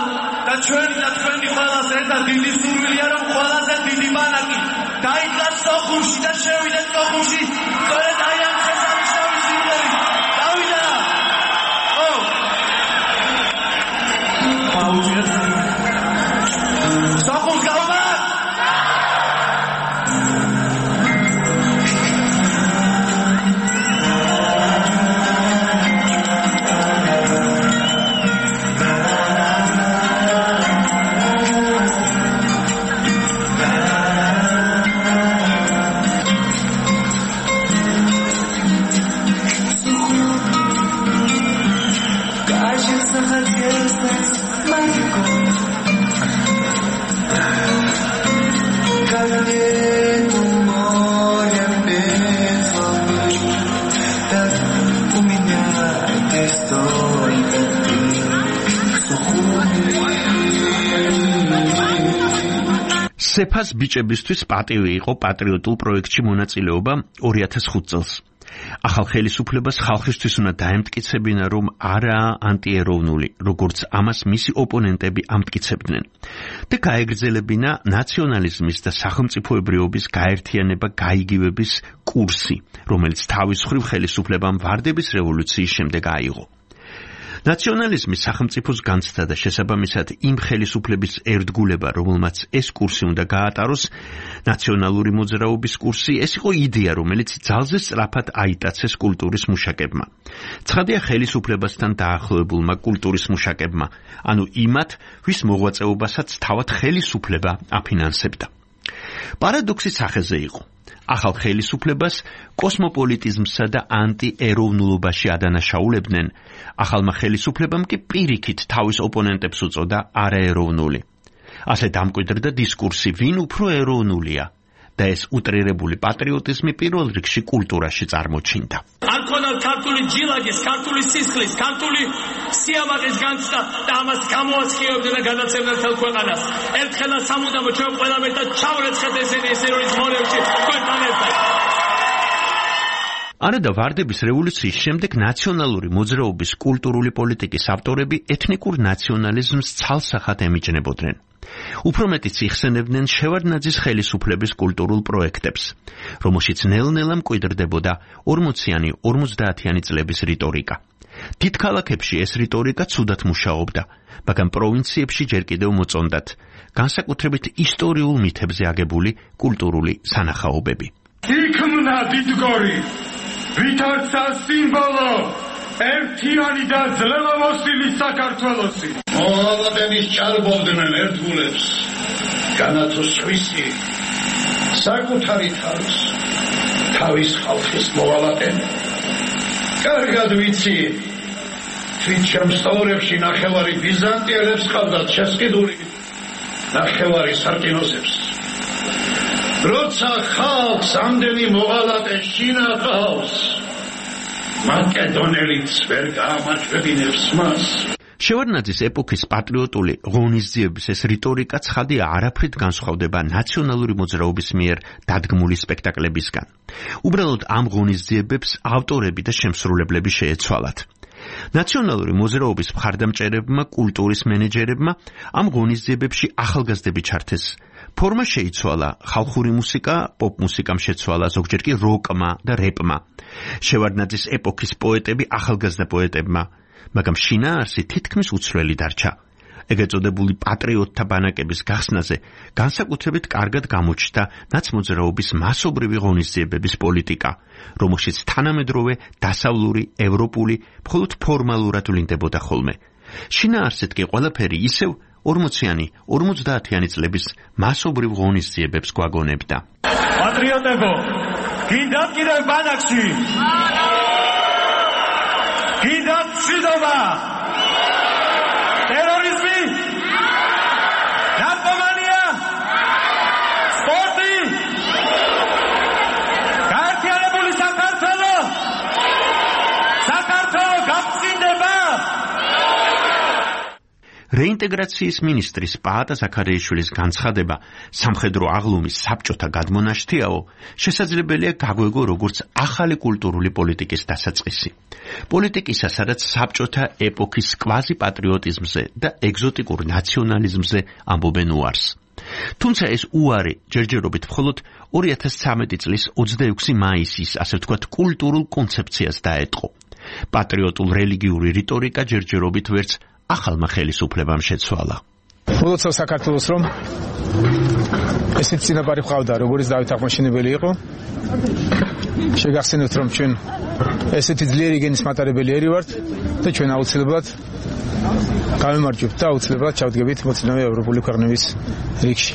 და ჩვენი ყველას ერთად დიდი სურვილია რომ ყველაზე დიდი ბანაკი დაიდგას სოხუმში და შევიდეთ სოხუმში სწორედ აი ამ შესანიშნავი სიმღერით. დავიდა! სოხუმს გავმა! სეფას ბიჭებისთვის პატივი იყო პატრიოტულ პროექტში მონაწილეობა 2005 წელს. ახალ ხელისუფლებას ხალხისთვის უნდა დაემტკიცებინა, რომ არაა ანტიეროვნული, როგორც ამას მისი ოპონენტები ამტკიცებდნენ. და გაეგრძელებინა ნაციონალიზმის და სახელმწიფოებრიობის გაერთიანება გაიგივების კურსი, რომელიც თავის მხრივ ხელისუფლებამ ვარდების რევოლუციის შემდეგ აიღო. ნაციონალიზმის სახელმწიფოს განცდა და შესაბამისად იმ ხელისუფლების ერთგულება, რომელმაც ეს კურსი უნდა გაატაროს, ნაციონალური მოძრაობის კურსი, ეს იყო იდეა, რომელიც ძალზე სწრაფად აიტაცეს კულტურის მუშაკებმა. ცხადია ხელისუფლებასთან დაახლოებულმა კულტურის მუშაკებმა, ანუ იმათ, ვის მოღვაწეობასაც თავად ხელისუფლება აფინანსებდა. პარადოქსი სახეზე იყო. ახალ ხელისუფლებას კოსმოპოლიტიზმსა და ანტიეროვნულობაში ადანაშაულებდნენ, ახალმა ხელისუფლებამ კი პირიქით თავის ოპონენტებს უწოდა არაეროვნული. ასე დამკვიდრდა დისკურსი, ვინ უფრო ეროვნულია და ეს უტრირებული პატრიოტიზმი პირველ რიგში კულტურაში წარმოჩინდა. არ ქონდა ქართული ჯილაგის, ქართული სისხლის, ქართული სიამაყის განცდა და ამას გამოაცხიებდნენ და გადაცემდნენ მთელ ქვეყანას. ერთხელაც სამუდამო ჩვენ ყველამ ერთად ჩავრეცხეთ ესენი ეროვნულ მორევში თქვენთან ერთად. არადა ვარდების რევოლუციის შემდეგ ნაციონალური მოძრაობის კულტურული პოლიტიკის ავტორები ეთნიკურ ნაციონალიზმს ცალსახად ემიჯნებოდნენ. უფრო მეტიც იხსენებდნენ შევარდნაძის ხელისუფლების კულტურულ პროექტებს, რომელშიც ნელ-ნელა მკვიდრდებოდა 40-იანი, 50-იანი წლების რიტორიკა. დიდ ქალაქებში ეს რიტორიკა ცუდად მუშაობდა, მაგრამ პროვინციებში ჯერ კიდევ მოწონდათ, განსაკუთრებით ისტორიულ მითებზე აგებული კულტურული სანახაობები. იქმნა დიდგორი, ვითარცა სიმბოლო, ერთიანი და ძლევამოსილი საქართველოსი. მოვალეების ჭარბობდნენ ერთგულებს, განათო სხვისი, საკუთარი თავის ხალხის მოვალეენ. კარგად ვიცი, თვით შემსწავლებში ნახევარი ბიზანტიელებს ყავდათ შესყიდული, ნახევარი სარკინოსებს. როცა ხალხს ამდენი მოვალე შინახავს, მაკედონელიც ვერ გაამაჩვენებს მას. შევარდნაძის ეპოქის პატრიოტული ღონისძიების ეს რიტორიკა ცხადია არაფრით განსხვავდება ნაციონალური მოძრაობის მიერ დადგმული სპექტაკლებისგან. უბრალოდ ამ ღონისძიებებს ავტორები და შემსრულებლები შეეცვალათ. ნაციონალური მოძრაობის მხარდამჭერებმა, კულტურის მენეჯერებმა ამ ღონისძიებებში ახალგაზრდები ჩართეს. ფორმა შეიცვალა, ხალხური მუსიკა პოპ მუსიკამ შეცვალა, ზოგჯერ კი როკმა და რეპმა. შევარდნაძის ეპოქის პოეტები ახალგაზრდა პოეტებმა, მაგრამ შინაარსი თითქმის უცვლელი დარჩა. ეგრეთ წოდებული პატრიოტთა ბანაკების გახსნაზე განსაკუთრებით კარგად გამოჩნდა ნაცმოძრაობის მასობრივი ღონისძიებების პოლიტიკა, რომელშიც თანამედროვე დასავლური, ევროპული, მხოლოდ ფორმალურად ვლინდებოდა ხოლმე. შინაარსით კი ყველაფერი ისევ 40-იანი, 50-იანი წლების მასობრივ ღონისძიებებს გვაგონებდა. პატრიოტებო, გინდათ კიდევ ბანაკში? გინდათ მშვიდობა? ტერორიზმი? ნარკომანია? სპორტი? გაერთიანებული საქართველო? საქართველო გაფრინდება? რეინტეგრაციის მინისტრის პაატა ზაქარიაშვილის განცხადება სამხედრო აღლუმის საბჭოთა გადმონაშთიაო შესაძლებელია გაგვეგო როგორც ახალი კულტურული პოლიტიკის დასაწყისი. პოლიტიკისა, სადაც საბჭოთა ეპოქის კვაზი პატრიოტიზმზე და ეგზოტიკურ ნაციონალიზმზე ამბობენ უარს. თუმცა ეს უარი ჯერჯერობით მხოლოდ 2013 წლის 26 მაისის, ასე ვთქვათ, კულტურულ კონცეფციას დაეტყო. პატრიოტულ რელიგიური რიტორიკა ჯერჯერობით ვერც ახალმა ხელისუფლებამ შეცვალა. მოდოცავ საქართველოს რომ ესეთ წინაპარი ყავდა, როგორც დავით აღმაშენებელი იყო. შეგახსენებთ რომ ჩვენ ესეთი ძლიერი გენის მატარებელი ერი ვართ და ჩვენ აუცილებლად გავიმარჯვებთ და აუცილებლად ჩავდგებით მოწინავე ევროპული ქვეყნების რიგში.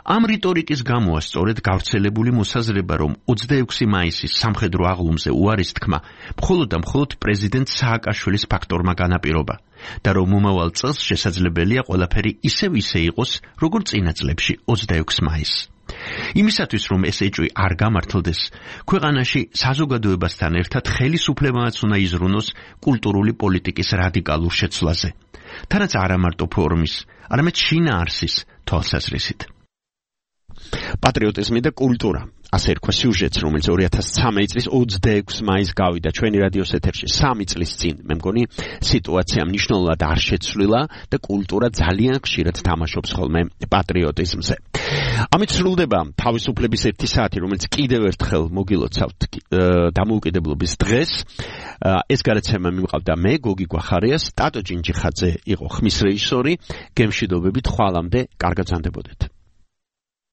ამ რიტორიკის გამოა სწორედ გავრცელებული მოსაზრება, რომ 26 მაისის სამხედრო აღლუმზე უარის თქმა მხოლოდ და მხოლოდ პრეზიდენტ სააკაშვილის ფაქტორმა განაპირობა და რომ მომავალ წელს შესაძლებელია ყველაფერი ისევ იყოს, როგორც წინა წლებში 26 მაისს. იმისათვის, რომ ეს ეჭვი არ გამართლდეს, ქვეყანაში საზოგადოებასთან ერთად ხელისუფლებაც უნდა იზრუნოს კულტურული პოლიტიკის რადიკალურ შეცვლაზე. თანაც არა მარტო ფორმის, არამედ შინაარსის თვალსაზრისით. პატრიოტიზმი და კულტურა. ასე რქვა სიუჟეტს, რომელიც 2013 წლის 26 მაისს გავიდა ჩვენი რადიოს ეთერში 3 წლის წინ. მე მგონი სიტუაცია მნიშვნელოვნად არ შეცვლილა და კულტურა ძალიან ხშირად თამაშობს ხოლმე პატრიოტიზმზე. ამით სრულდება თავისუფლების 1 საათი, რომელიც კიდევ ერთხელ მოგილოცავთ დამოუკიდებლობის დღეს. ეს გადაცემა მიმყავდა მე, გოგი გვახარიას, ტატო ჭინჭიხაძე იყო ხმის რეჟისორი. გემშვიდობებით, ხვალამდე, კარგად ზანდებოდეთ.